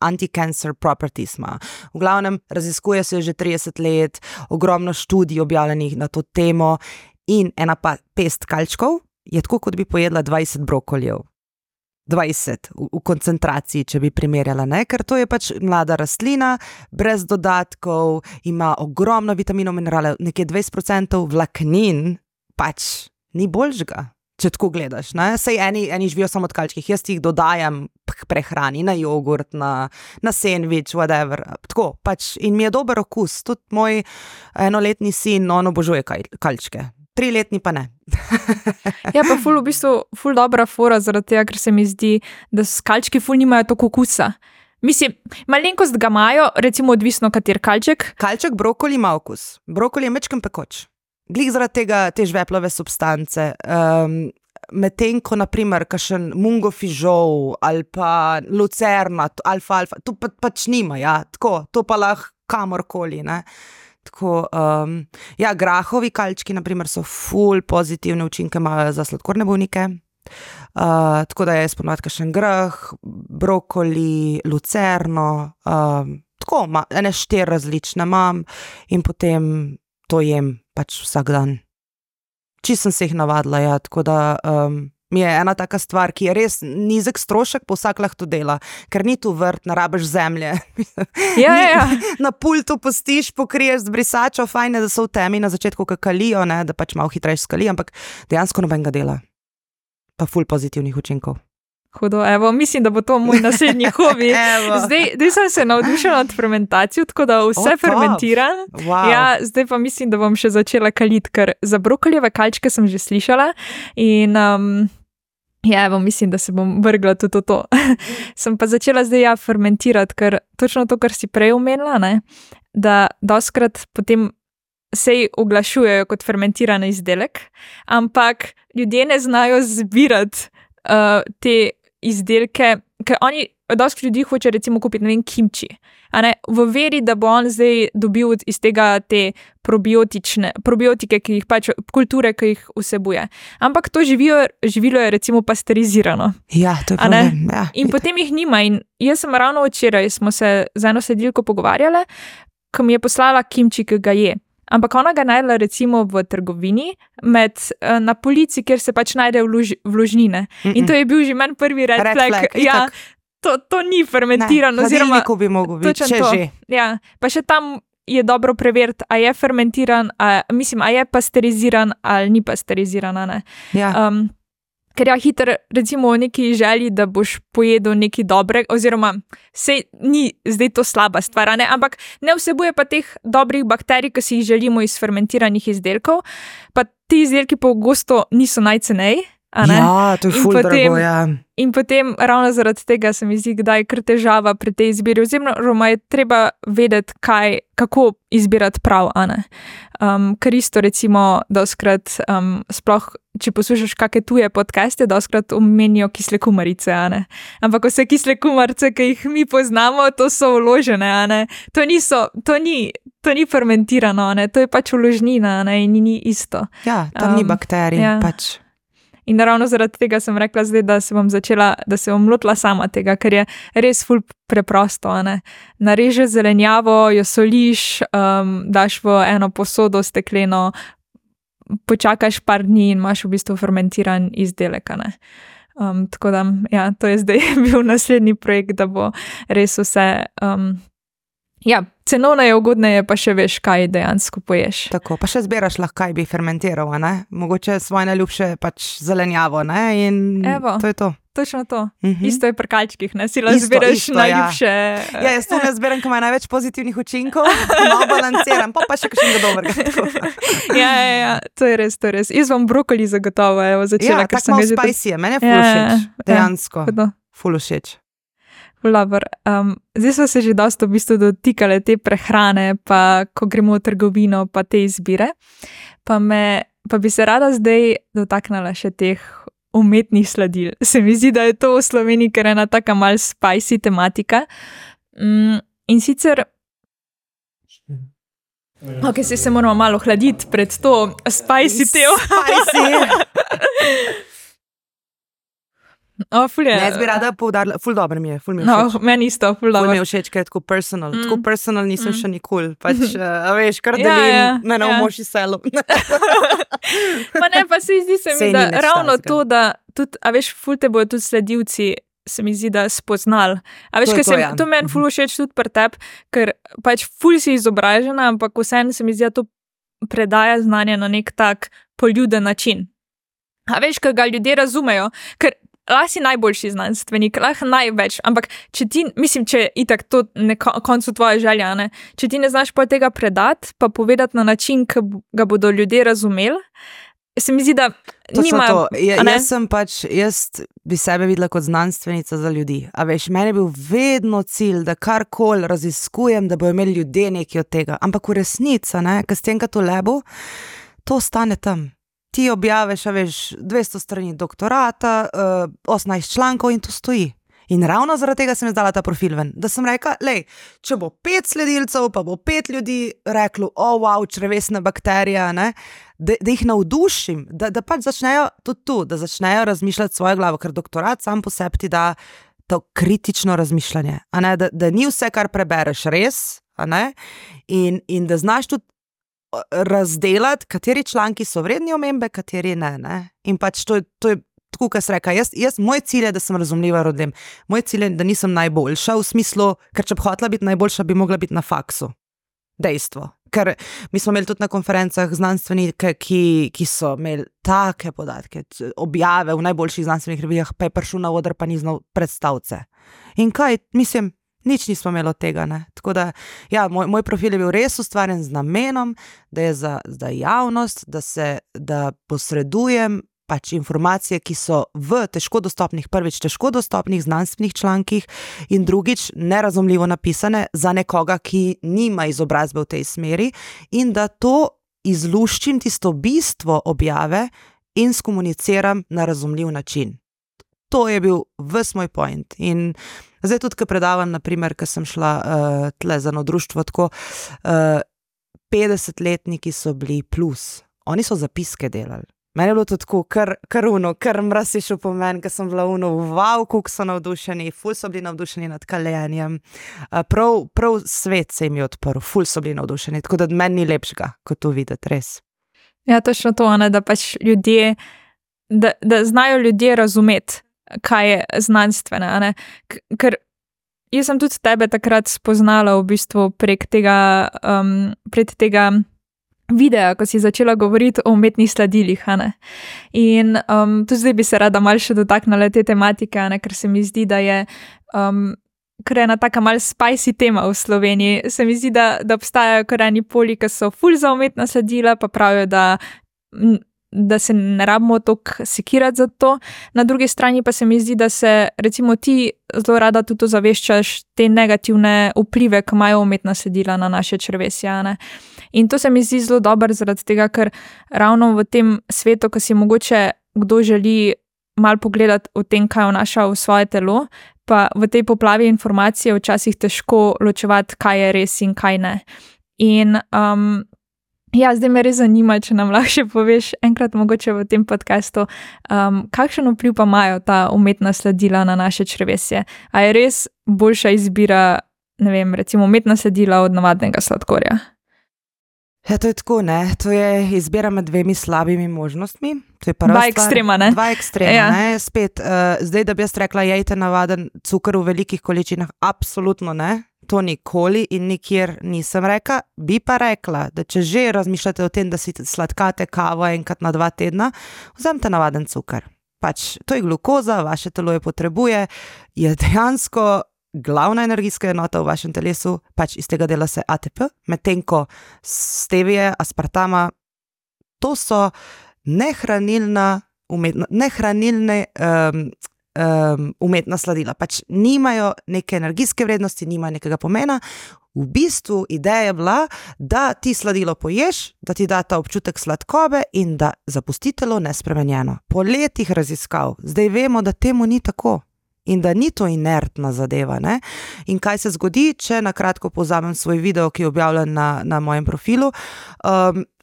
anti-cancer properties ima. V glavnem, raziskuje se že 30 let, ogromno študij objavljenih na to temo in ena pest kalčkov je tako, kot bi pojedla 20 brokoljev. 20 v koncentraciji, če bi primerjala, ne? Ker to je pač mlada rastlina, brez dodatkov, ima ogromno vitaminov, mineralov, nekje 20% vlaknin, pač ni boljšega. če tako gledaš. Ne? Sej eni živijo samo od kalčkih, jaz jih dodajam k prehrani, na jogurt, na sendvič, whatever. Tako, pač, in mi je dober okus. Tudi moj 1-letni sin, on obožuje kalčke. 3-letni pa ne. Ja, pa v bistvu ful dobra fora, zaradi tega, ker se mi zdi, da kalčki ful nimajo toliko okusa. Mislim, malenkost ga imajo, recimo odvisno kater kalček. Kalček brokoli ima okus. Brokoli je mečkem pekoč. Glih zaradi tega te žveplove substance. Medtem ko naprimer kakšen mungo fižol ali pa lucerna, alfalfa, to pač nima, ja, tako, to pa lahko kamorkoli, ne. Tako, ja, grahovi kalčki naprimer so ful pozitivne učinke imajo za sladkorne bolnike. Tako da jaz ponovadi kakšen grah, brokoli, lucerno, tako, ene 4 različne imam in potem to jem pač vsak dan. Čisto sem se jih navadila, ja, tako da mi je ena taka stvar, ki je res nizek strošek, pa vsak lahko to dela, ker ni tu vrt, ne rabiš zemlje. Ja. Na pultu postiš, pokriješ z brisačo, fajn je, da so v temi na začetku kakalijo, ne, da pač malo hitreje skali, ampak dejansko nobenega dela. Pa ful pozitivnih učinkov. Hudo, evo, mislim, da bo to moj naslednji hobi. Zdaj sem se navdušila nad fermentacijo, tako da vse fermentiram. Wow. Ja, zdaj pa mislim, da bom še začela kaliti, ker za brokolijeve kalčke sem že slišala in ja, evo, mislim, da se bom vrgla tudi v to. Sem pa začela zdaj fermentirati, ker točno to, kar si prej omenila, ne, da dostikrat potem sej oglašujejo kot fermentiran izdelek, ampak ljudje ne znajo zbirati te izdelke, ker oni, dosti ljudi hoče recimo kupiti, ne vem, kimči, a ne, v veri, da bo on zdaj dobil iz tega te probiotike, ki jih pač, kulture, ki jih vsebuje. Ampak to živilo je recimo pasterizirano. Ja, to je problem, ja. In potem jih nima in jaz sem ravno včeraj, smo se z eno sledilko pogovarjale, ko mi je poslala kimči, ki ga je. Ampak ona ga najdela recimo v trgovini na polici, kjer se pač najde vložnine. In to je bil že meni prvi red flag. Ja, to ni fermentirano. Ne, hladilniku bi mogel biti, če že. Ja, pa še tam je dobro preveriti, a je fermentiran, a je pasteriziran ali ni pasteriziran, ne. Ja. Ker ja, hitro, recimo v neki želji, da boš pojedel nekaj dobrega, oziroma sej ni zdaj to slaba stvar, ne? Ampak ne vsebuje pa teh dobrih bakterij, ki si jih želimo iz fermentiranih izdelkov, pa ti izdelki pogosto niso najcenej. Ja, to je ful drago, ja. In potem ravno zaradi tega se mi zdi, kdaj kar težava pri tej izbiri, oziroma je treba vedeti, kako izbirati prav, a ne. Ker isto recimo dostikrat, sploh če poslušaš kakšne tuje podcaste, dostikrat omenijo kisle kumarice, a ne. Ampak vse kisle kumarice, ki jih mi poznamo, to so vložene, a ne. To ni fermentirano, a ne. To je pač vložnina, a ne, in ni isto. Ja, tam ni bakterij, ja. pač. In ravno zaradi tega sem rekla zdaj, da se bom lotila sama tega, ker je res ful preprosto, a ne. Narežeš zelenjavo, jo soliš, daš v eno posodo stekleno, počakaš par dni in imaš v bistvu fermentiran izdelek, a ne. Tako da, ja, to je zdaj bil naslednji projekt, da bo res vse, ja, cenovno je ugodneje, pa še veš, kaj dejansko poješ. Tako, pa še zbiraš lahko, kaj bi fermentiral, ne? Mogoče svoje najljubše pač zelenjavo, ne? In evo, to je to. Točno to. Isto je pri kalčkih, ne? Si lahko zbiraš najljubše. Ja, jaz to ne zbiram, ko ima največ pozitivnih učinkov, malo balanciram, pa še kakšnega dobrega. Ja, to je res. Jaz bom brokoli zagotovo, evo, začela, ker sem ga že... Ja, tako malo spicy je, meni je ful všeč, dejansko. Ful všeč. Zdaj smo se že dosti v bistvu dotikale te prehrane, pa ko gremo v trgovino, pa te izbire. Pa bi se rada zdaj dotaknila še teh umetnih sladil. Se mi zdi, da je to v Sloveniji kar ena taka mal spicy tematika. In sicer... Ok, se moramo malo hladiti pred to spicy teo. Jaz bi rada poudarila, ful dobro mi je, ful mi je všeč. Meni isto, ful dobro. Ful mi je všeč, ker je tako personal. Tako personal nisem še nikoli. Pač, veš, kar delim, ne na umoši selu. Pa ne, pa se zdi se mi, da ravno to, da tudi, a veš, ful te bojo tudi sledilci, se mi zdi, da spoznali. A veš, to meni ful všeč tudi pri tebi, ker pač ful si izobražena, ampak vseeno se mi zdi, da to predaja znanje na nek tak poljuden način. A veš, kaj ga ljudje razumejo, ker lahko si najboljši znanstvenik, lahko največ, ampak če ti, mislim, če je itak to na koncu tvoja želja, ne? Če ti ne znaš pa tega predati, pa povedati na način, ki ga bodo ljudje razumeli, se mi zdi, da nima... Jaz bi sebe videla kot znanstvenica za ljudi. A veš, meni je bil vedno cilj, da karkoli raziskujem, da bojo imeli ljudje nekaj od tega. Ampak v resnici, ker s tem, kaj to lebo, to ostane tam. Ti objaveš, a veš, 200 strani doktorata, 18 člankov in to stoji. In ravno zaradi tega sem izdala ta profil ven, da sem rekla, lej, če bo 5 sledilcev, pa bo 5 ljudi reklo, wow, črevesna bakterija, ne, da jih navdušim, da pač začnejo tudi tu, da začnejo razmišljati svojo glavo, ker doktorat sam po sebi ti da to kritično razmišljanje, a ne, da ni vse, kar prebereš res, a ne, in da znaš tudi razdelati, kateri članki so vredni omembe, kateri ne. In pač to je tako, kot sem rekla, moj cilj je, da sem razumljiva ljudem. Moj cilj je, da nisem najboljša, v smislu, ker če bi hotela biti najboljša, bi mogla biti na faksu. Dejstvo. Ker mi smo imeli tudi na konferencah znanstvenike, ki so imeli take podatke, objave v najboljših znanstvenih revijah, pa je prišel na oder, pa ni znal predstavce. In kaj, mislim, nič nismo imeli od tega, ne. Tako da, ja, moj profil je bil res ustvarjen z namenom, da je za javnost, da posredujem pač informacije, ki so v težko dostopnih znanstvenih člankih in drugič nerazumljivo napisane za nekoga, ki nima izobrazbe v tej smeri in da to izluščim tisto bistvo objave in skomuniciram na razumljiv način. To je bil ves moj point. In zdaj tudi, ko predavam, naprimer, ko sem šla tle za eno društvo, tako 50-letniki so bili plus. Oni so zapiske delali. Meni je bilo to tako, kar mraz je šel po meni, ker sem bila wow, koliko so navdušeni, ful so bili navdušeni nad Kalenjem. Prav svet se jim je odprl, ful so bili navdušeni, tako da meni ni lepšega, kot to videti, res. Ja, točno to, da pač ljudje, da znajo ljudje razumeti, kaj je znanstvene, ker jaz sem tudi tebe takrat spoznala v bistvu prek tega videa, ko si začela govoriti o umetnih sladilih, in tudi zdaj bi se rada malo še dotaknila te tematike, ker se mi zdi, da je ker je ena taka malo spicy tema v Sloveniji, se mi zdi, da obstajajo kar eni poli, ki so ful za umetna sladila, pa pravijo, da se ne rabimo toliko sekirati za to. Na drugi strani pa se mi zdi, da se recimo ti zelo rada tudi ozaveščaš te negativne vplive, ki imajo umetna sladila na naše črevesje. In to se mi zdi zelo dobro zaradi tega, ker ravno v tem svetu, ko si mogoče kdo želi malo pogledati o tem, kaj vnaša v svoje telo, pa v tej poplavi informacije včasih težko ločevati, kaj je res in kaj ne. In ja, zdaj me res zanima, če nam lahko še poveš enkrat mogoče v tem podcastu, kakšen vpliv pa imajo ta umetna sladila na naše črevesje? A je res boljša izbira, ne vem, recimo umetna sladila od navadnega sladkorja? Ja, to je tako, ne. To je izbira med dvemi slabimi možnostmi. To je prva Dva ekstrema, ne? Dva ekstrema, ja. Ne. Spet, zdaj, da bi jaz rekla, jejte navaden cukor v velikih količinah, absolutno ne. To nikoli in nikjer nisem rekla. Bi pa rekla, da če že razmišljate o tem, da si sladkate kavo enkrat na 2 tedna, vzemite navaden cukor. Pač, to je glukoza, vaše telo jo potrebuje, je dejansko glavna energijska enota v vašem telesu, pač iz tega dela se ATP, medtem ko stevije, aspartama, to so nehranilne umetna sladila. Pač nimajo neke energijske vrednosti, nimajo nekega pomena. V bistvu ideja je bila, da ti sladilo poješ, da ti da ta občutek sladkobe in da zapusti telo nespremenjeno. Po letih raziskav, zdaj vemo, da temu ni tako. In da ni to inertna zadeva, ne? In kaj se zgodi, če na kratko povzamem svoj video, ki je objavljen na mojem profilu,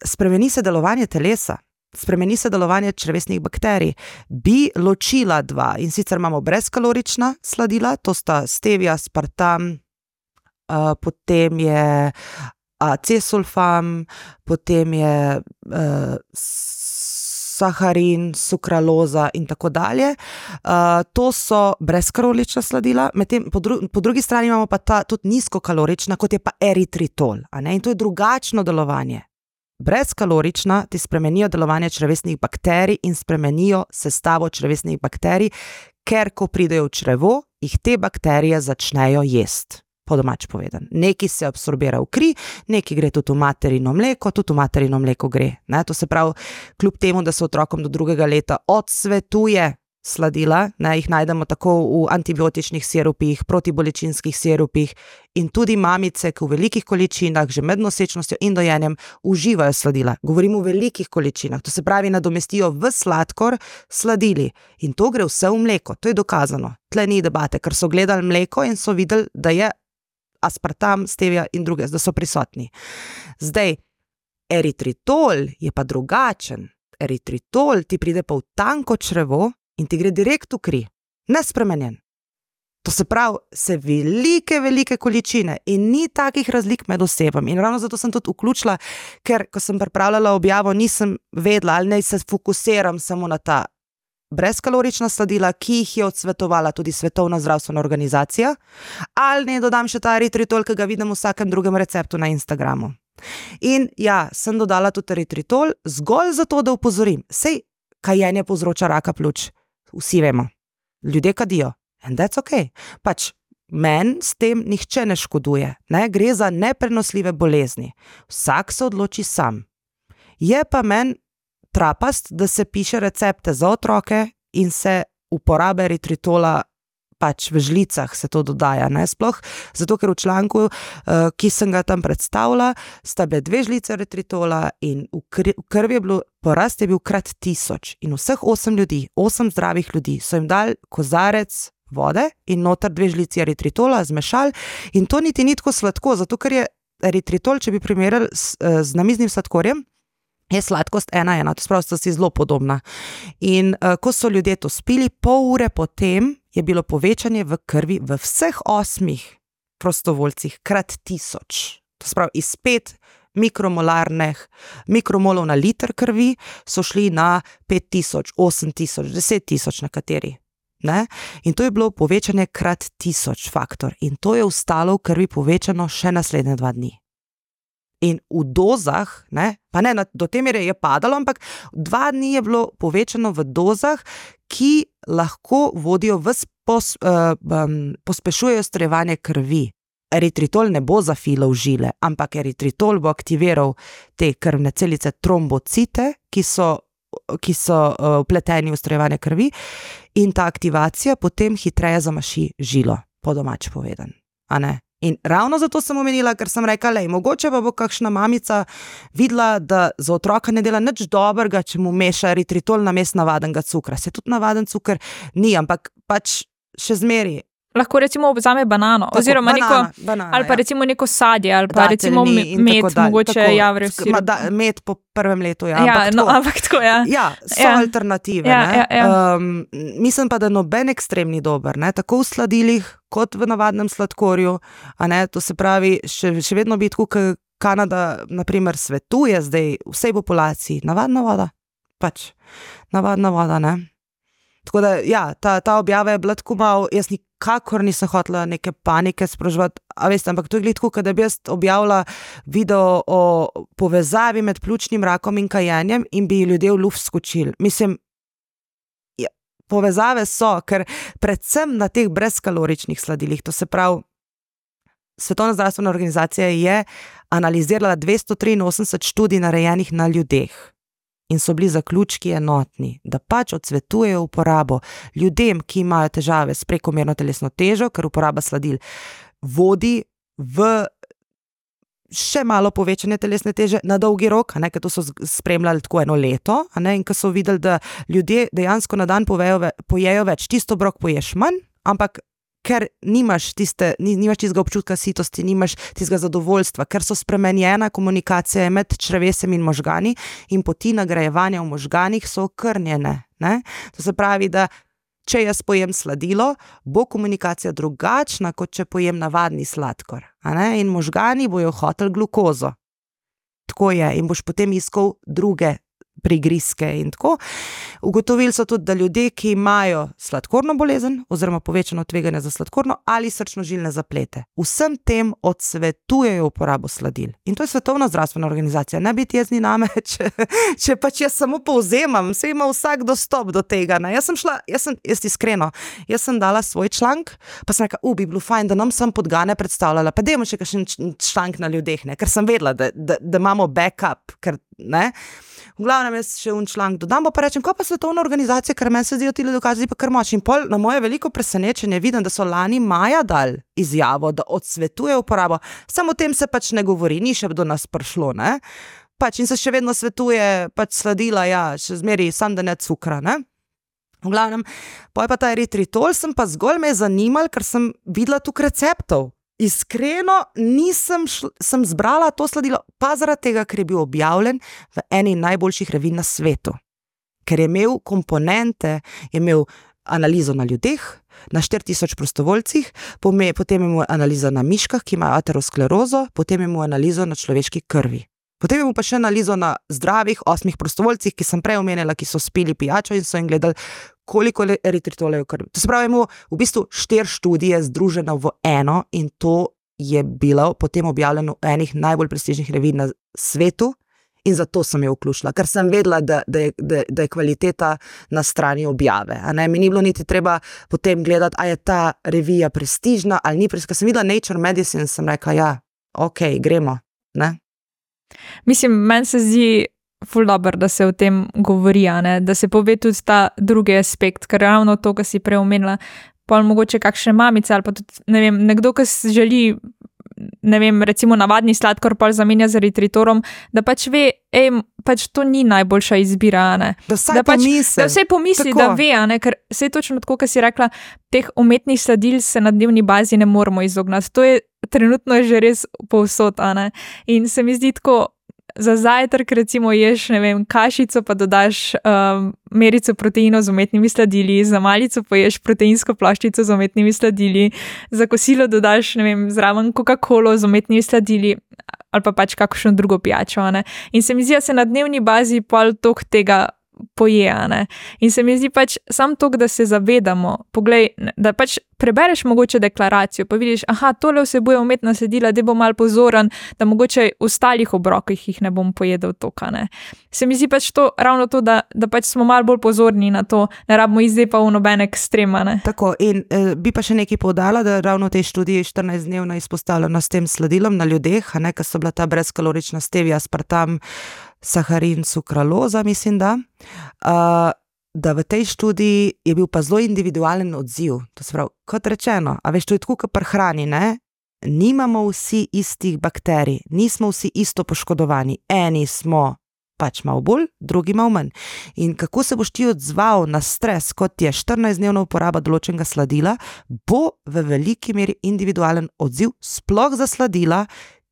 spremeni se delovanje telesa, spremeni se delovanje črevesnih bakterij. Bi ločila dva, in sicer imamo brezkalorična sladila, to sta stevia, aspartam, potem je acesulfam, potem je saharin, sukraloza in tako dalje. To so brezkalorična sladila, medtem po drugi strani imamo pa ta tudi nizkokalorična, kot je pa eritritol, a ne? In to je drugačno delovanje. brezkalorična, ti spremenijo delovanje črevesnih bakterij in spremenijo sestavo črevesnih bakterij, ker ko pridejo v črevo, jih te bakterije začnejo jesti. Po domač povedan. Neki se absorbira v kri, neki gre tudi v materino mleko, tudi v materino mleko gre. Ne? To se pravi, kljub temu, da se otrokom do 2. leta odsvetuje sladila, ne, jih najdemo tako v antibiotičnih sirupih, protibolečinskih sirupih in tudi mamice, ki v velikih količinah, že med nosečnostjo in dojenjem, uživajo sladila. Govorimo v velikih količinah, to se pravi, nadomestijo v sladkor sladili in to gre vse v mleko, to je dokazano. Tle ni debate, ker so gledali mleko in so videli, da je aspartam, stevia in druge, da so prisotni. Zdaj, eritritol je pa drugačen. Eritritol ti pride pa v tanko črevo in ti gre direkt v kri, nespremenjen. To se pravi, se velike količine in ni takih razlik med osebami. In ravno zato sem tudi vključila, ker ko sem pripravljala objavo, nisem vedela, ali naj se fokusiram samo na ta brezkalorična sladila, ki jih je odsvetovala tudi Svetovna zdravstvena organizacija, ali ne dodam še ta eritritol, ki ga vidim v vsakem drugem receptu na Instagramu. In ja, sem dodala tudi eritritol zgolj zato, da upozorim. Sej kajenje povzroča raka pljuč. Vsi vemo. Ljudje kadijo. And that's okay. Pač meni s tem nihče ne škoduje. Ne? Gre za neprenosljive bolezni. Vsak se odloči sam. Je pa meni trapast, da se piše recepte za otroke in se uporabe eritritola pač v žlicah se to dodaja, ne, sploh, zato ker v članku, ki sem ga tam predstavila, sta bile 2 žlice eritritola in v krvi je bilo, porast je bil krat 1000 in vseh 8 ljudi, 8 zdravih ljudi so jim dali kozarec vode in noter 2 žlici eritritola zmešali in to niti ni tako sladko, zato ker je eritritol, če bi primerjali z namiznim sladkorjem, je sladkost 1:1, to spravi, sta si zelo podobna. In ko so ljudje to spili, pol ure potem je bilo povečanje v krvi v vseh 8 prostovoljcih krat 1000. To spravi, iz 5 mikromolov na liter krvi so šli na 5000, 8000, 10 000 nekateri. Ne? In to je bilo povečanje krat 1000 faktor. In to je ostalo v krvi povečano še naslednje 2 dni. In v dozah, ne, pa ne, do te mere je padalo, ampak 2 dni je bilo povečano v dozah, ki lahko vodijo pospešujejo strjevanje krvi. Eritritol ne bo zafilal žile, ampak eritritol bo aktiviral te krvne celice trombocite, ki so vpleteni v strjevanje krvi in ta aktivacija potem hitreje zamaši žilo, po domač povedan. A ne? In ravno zato sem omenila, ker sem rekla, lej, mogoče pa bo kakšna mamica videla, da za otroka ne dela nič dobrega, če mu meša eritritol namesto navadnega cukra. Se tudi navaden cukor ni, ampak pač še zmeri. Lahko recimo vzame banano, tako, oziroma banana, ali pa recimo neko sadje, ali pa recimo med, mogoče javre vsi. Med po 1. letu, ja. Ampak tako, ja. Ja, so alternative, ne. Mislim pa, da noben ekstrem ni dober, ne, tako v sladilih, kot v navadnem sladkorju, a ne, to se pravi, še vedno bi tako, ker Kanada, naprimer, svetuje zdaj vsej populaciji, navadna voda, pač, navadna voda, ne. Tako da, ja, ta objava je bila tako malo, jaz nikakor nisem hotela neke panike sproževati, a veste, ampak to je tako, da bi jaz objavila video o povezavi med pljučnim rakom in kajenjem in bi ljudje v luft skočili. Mislim, ja, povezave so, ker predvsem na teh brezkaloričnih sladilih, to se pravi, Svetovna zdravstvena organizacija je analizirala 283 študij narejenih na ljudeh. In so bili zaključki enotni, da pač odsvetujejo uporabo ljudem, ki imajo težave s prekomerno telesno težo, ker uporaba sladil vodi v še malo povečanje telesne teže na dolgi rok, a ne, ker to so spremljali tako 1 leto, a ne, in ko so videli, da ljudje dejansko na dan pojejo več, tisto obrok poješ manj, ampak ker nimaš tistega občutka sitosti, nimaš tistega zadovoljstva, ker so spremenjena komunikacija med črevesjem in možgani in poti nagrajevanja v možganih so okrnjene. Ne? To se pravi, da če jaz pojem sladilo, bo komunikacija drugačna, kot če pojem navadni sladkor. A ne? In možgani bojo hoteli glukozo. Tako je in boš potem iskal druge prigrizke in tako. Ugotovili so tudi, da ljudje, ki imajo sladkorno bolezen oziroma povečano tveganje za sladkorno ali srčno-žilne zaplete, vsem tem odsvetujejo uporabo sladil. In to je Svetovna zdravstvena organizacija. Ne biti jezni name, če pač jaz samo povzemam, saj ima vsak dostop do tega. Ne? Jaz iskreno, jaz sem dala svoj članek, pa sem rekla, bi bilo fajn, da nam sem podgane predstavljala, pa dajmo še kakšen članek na ljudeh, ne? Ker sem vedela, da imamo backup, ker ne. V glavnem jaz še un članek dodam, pa rečem, ko pa Svetovna organizacija, ker meni se zdijo ti dokazi pa kar močni. In pol na moje veliko presenečenje vidim, da so lani maja dali izjavo, da odsvetuje uporabo. Samo o tem se pač ne govori, ni še do nas prišlo, ne. Pač in se še vedno svetuje pač sladila, ja, še zmeri sam da ne cukra, ne. V glavnem, pa je pa ta eritritol, sem pa zgolj me zanimal, ker sem videla tukaj receptov. Iskreno sem zbrala to sladilo, pa zaradi tega, ker je bil objavljen v eni najboljših revij na svetu. Ker je imel komponente, je imel analizo na ljudeh, na 4000 prostovoljcih, potem je imel analizo na miškah, ki imajo aterosklerozo, potem je imel analizo na človeški krvi. Potem je imel pa še analizo na zdravih 8 prostovoljcih, ki sem prej omenila, ki so spili pijačo in so jim gledali, koliko eritritola je v krvi. To se pravi, imel v bistvu 4 študije združene v eno in to je bilo potem objavljeno v enih najbolj prestižnih revij na svetu in zato sem jo vključila, ker sem vedela, da je kvaliteta na strani objave. A ne, mi ni bilo niti treba potem gledati, a je ta revija prestižna ali ni prestižna. Ker sem videla Nature Medicine, sem rekla, ja, ok, gremo, ne. Mislim, meni se zdi ful dobro, da se o tem govori, ne? Da se pove tudi ta drugi aspekt, ker ravno to, kar si prej omenila, pol mogoče kakšne mamice ali pa tudi, ne vem, nekdo, ki želi, ne vem, recimo navadni sladkor pol zamenja z eritritorom, da pač ve, pač to ni najboljša izbira, ne. Da vsaj pomisli, da ve, ne, ker se je točno tako, kar si rekla, teh umetnih sladil se na dnevni bazi ne moramo izognati. To je trenutno že res povsod, ne. In se mi zdi tako, za zajtrk recimo ješ, ne vem, kašico, pa dodaš merico proteinov z umetnimi sladili, za malico poješ proteinsko ploščico z umetnimi sladili, za kosilo dodaš, ne vem, zraven Coca-Colo z umetnimi sladili ali pa pač kakšno drugo pijačo, ne. In se mi zdi, da se na dnevni bazi pol toliko tega poje, ne. In se mi zdi pač sam toliko, da se zavedamo, poglej, da pač prebereš mogoče deklaracijo, pa vidiš, aha, tole vsebuje umetna sladila, da bo malo pozoren, da mogoče v ostalih obrokih jih ne bom pojedel toliko, ne. Se mi zdi pač to, ravno to, da pač smo malo bolj pozorni na to, ne rabimo zdaj pa v noben ekstrema, ne. Tako, in bi pa še nekaj poudarila, da ravno v tej študiji 14-dnevna izpostavljena s tem sladilom na ljudeh, a ne, ker so bila ta brezkalorična stevia, aspartam, saharin, sukraloza, mislim, da v tej študiji je bil pa zelo individualen odziv. To se pravi, kot rečeno, a veš, to je tako, kot pri hrani, ne? Nimamo vsi istih bakterij, nismo vsi isto poškodovani. Eni smo pač malo bolj, drugi malo manj. In kako se boš ti odzval na stres, kot je 14-dnevna uporaba določenega sladila, bo v veliki meri individualen odziv, sploh za sladila,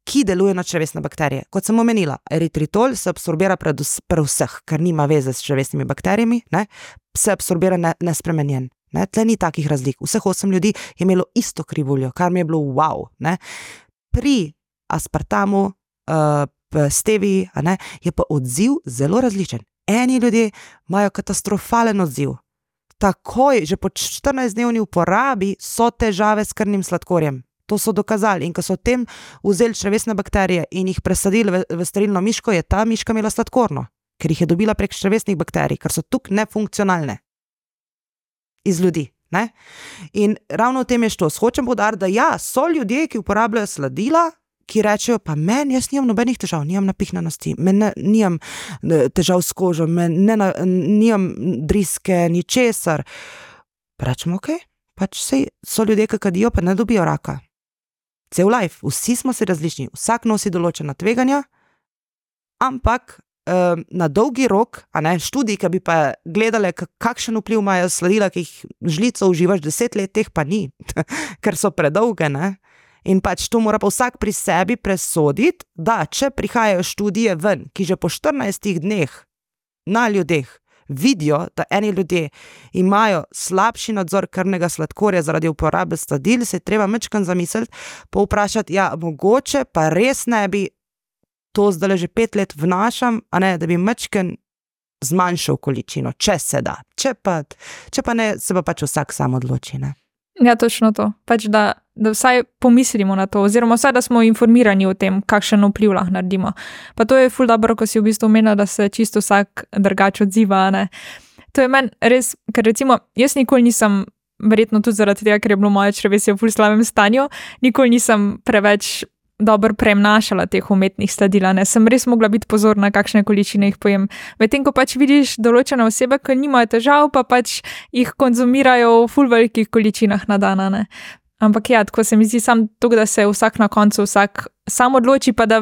ki deluje na črevesne bakterije. Kot sem omenila, eritritol se absorbira pri vseh, ker nima veze s črevesnimi bakterijami, ne? Se absorbira nespremenjen. Ne? Tle ni takih razlik. Vseh 8 ljudi je imelo isto krivuljo, kar mi je bilo wow. Ne? Pri aspartamu, steviji, a ne, je pa odziv zelo različen. Eni ljudje imajo katastrofalen odziv. Takoj, že po 14-dnevni uporabi so težave s krvnim sladkorjem. To so dokazali in ko so tem vzeli črevesne bakterije in jih presadili v sterilno miško, je ta miška imela sladkorno, ker jih je dobila prek črevesnih bakterij, ker so tukaj nefunkcionalne iz ljudi. Ne? In ravno v tem je što. Hočem poudariti, da ja, so ljudje, ki uporabljajo sladila, ki rečejo, pa jaz nimam nobenih težav, nimam napihnanosti, nimam težav s kožo, nimam driske, ničesar. Pa rečemo, ok, pač sej so ljudje, ki kadijo, pa ne dobijo raka. Cel life, vsi smo si različni, vsak nosi določena tveganja, ampak na dolgi rok, a ne, študiji, ki bi pa gledale, kakšen vpliv imajo sladila, ki jih žlico uživaš 10 let, teh pa ni, ker so predolge, ne. In pač to mora pa vsak pri sebi presoditi, da če prihajajo študije ven, ki že po 14 dneh na ljudeh vidijo, da eni ljudje imajo slabši nadzor krvnega sladkorja zaradi uporabe sladil, se je treba majčkeno zamisliti, pa vprašati, ja, mogoče pa res ne bi to zdaj že 5 let vnašam, a ne, da bi majčkeno zmanjšal količino, če se da. Če pa ne, se pa pač vsak sam odloči, ne. Ja, točno to. Pač da vsaj pomislimo na to, oziroma vsaj, da smo informirani o tem, kakšen vpliv lahko naredimo. Pa to je ful dobro, ko si v bistvu omenila, da se čisto vsak drugače odziva, ne. To je meni res, ker recimo, jaz nikoli nisem, verjetno tudi zaradi tega, ker je bilo moje črevesje v ful slabem stanju, nikoli nisem preveč dobro premnašala teh umetnih sladil, ne. Sem res mogla biti pozorna, kakšne količine jih pojem. Medtem ko pač vidiš določene osebe, ki nimajo težav, pa pač jih konzumirajo v ful velikih količinah na dan, ne. Ampak ja, tako se mi zdi samo to, da se vsak na koncu sam odloči, pa da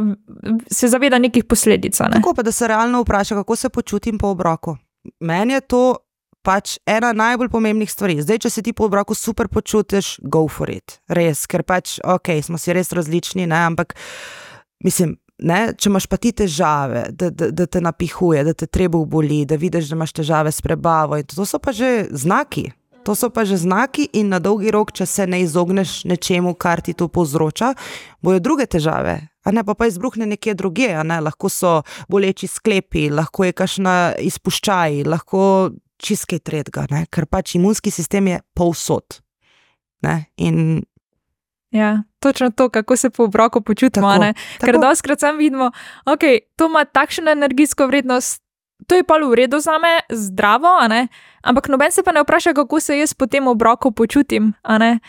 se zaveda nekih posledic, ne. Tako pa, da se realno vpraša, kako se počutim po obroku. Meni je to pač ena najbolj pomembnih stvari. Zdaj, če se ti po obroku super počutiš, go for it. Res, ker pač, smo si res različni, ne, ampak mislim, ne, če imaš pa ti težave, da te napihuje, da te trebuh boli, da vidiš, da imaš težave s prebavo, in to so pa že znaki. To so pa že znaki in na dolgi rok, če se ne izogneš nečemu, kar ti to povzroča, bojo druge težave. A ne, pa izbruhne nekje drugje, a ne, lahko so boleči sklepi, lahko je kakšna izpuščaj, lahko čist kaj tretjega, ne, ker pač imunski sistem je povsod, ne, in ja, točno to, kako se po obroku počutimo, ne, ker dostikrat sam vidimo, to ima takšno energijsko vrednost, to je pa v redu zame, zdravo, a ne, ampak noben se pa ne vpraša, kako se jaz po tem obroku počutim, a ne,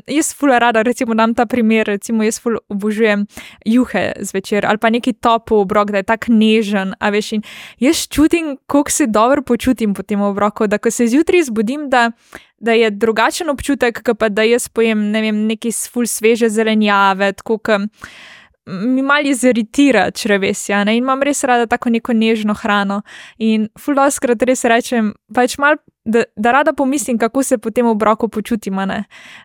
jaz ful rada, recimo dam ta primer, recimo jaz ful obožujem juhe zvečer, ali pa neki topel obrok, da je tak nežen, a veš, in jaz čutim, koliko se dobro počutim po tem obroku, da ko se zjutraj zbudim, da je drugačen občutek, pa da jaz pojem, ne vem, neki ful sveže zelenjave, tako mi malo iziritira črevesja, ne, in imam res rada tako neko nežno hrano in ful dostikrat res rečem, pač malo, da rada pomislim, kako se po tem obroku počutim, ne.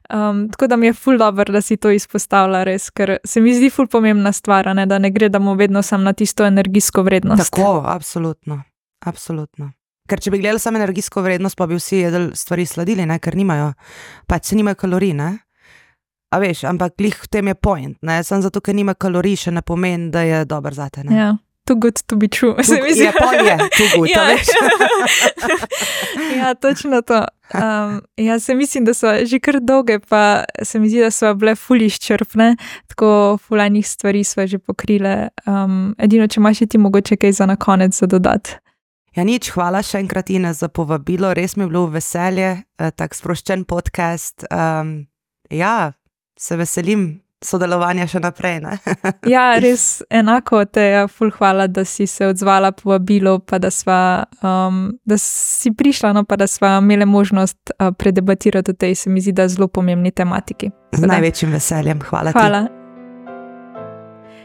Tako da mi je ful dobro, da si to izpostavila res, ker se mi zdi ful pomembna stvar, ne, da ne gledamo vedno samo na tisto energijsko vrednost. Tako, absolutno. Ker če bi gledali samo energijsko vrednost, pa bi vsi jedli stvari sladili, ne, ker pač nimajo kalorij, ne. A veš, ampak glih v tem je point, ne, samo zato, ker nima kalorij, še ne pomeni, da je dober zate, ne. Ja, too good to be true. Je too good, ja. Veš. Ja, točno to. Ja, se mislim, da so že kar dolge, pa se mi zdi, da so bile ful izčrpne, tako ful enih stvari sva že pokrile. Edino, če imaš ti mogoče kaj za na konec za dodati. Ja, nič, hvala še enkrat Ines za povabilo, res mi je bilo veselje, tak sproščen podcast, ja, se veselim sodelovanja še naprej, ne? Ja, res enako te, ful hvala, da si se odzvala povabilo, pa da si prišla, no, pa da sva imeli možnost predebatirati o tej, se mi zdi, da zelo pomembni tematiki. Z največjim veseljem, hvala ti.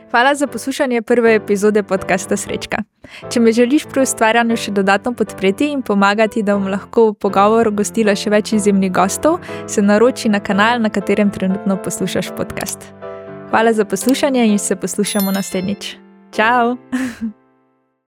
Hvala za poslušanje prve epizode podcasta Srečka. Če me želiš pri ustvarjanju še dodatno podpreti in pomagati, da bom lahko v pogovoru gostila še več izjemnih gostov, se naroči na kanal, na katerem trenutno poslušaš podcast. Hvala za poslušanje in se poslušamo naslednjič. Čau!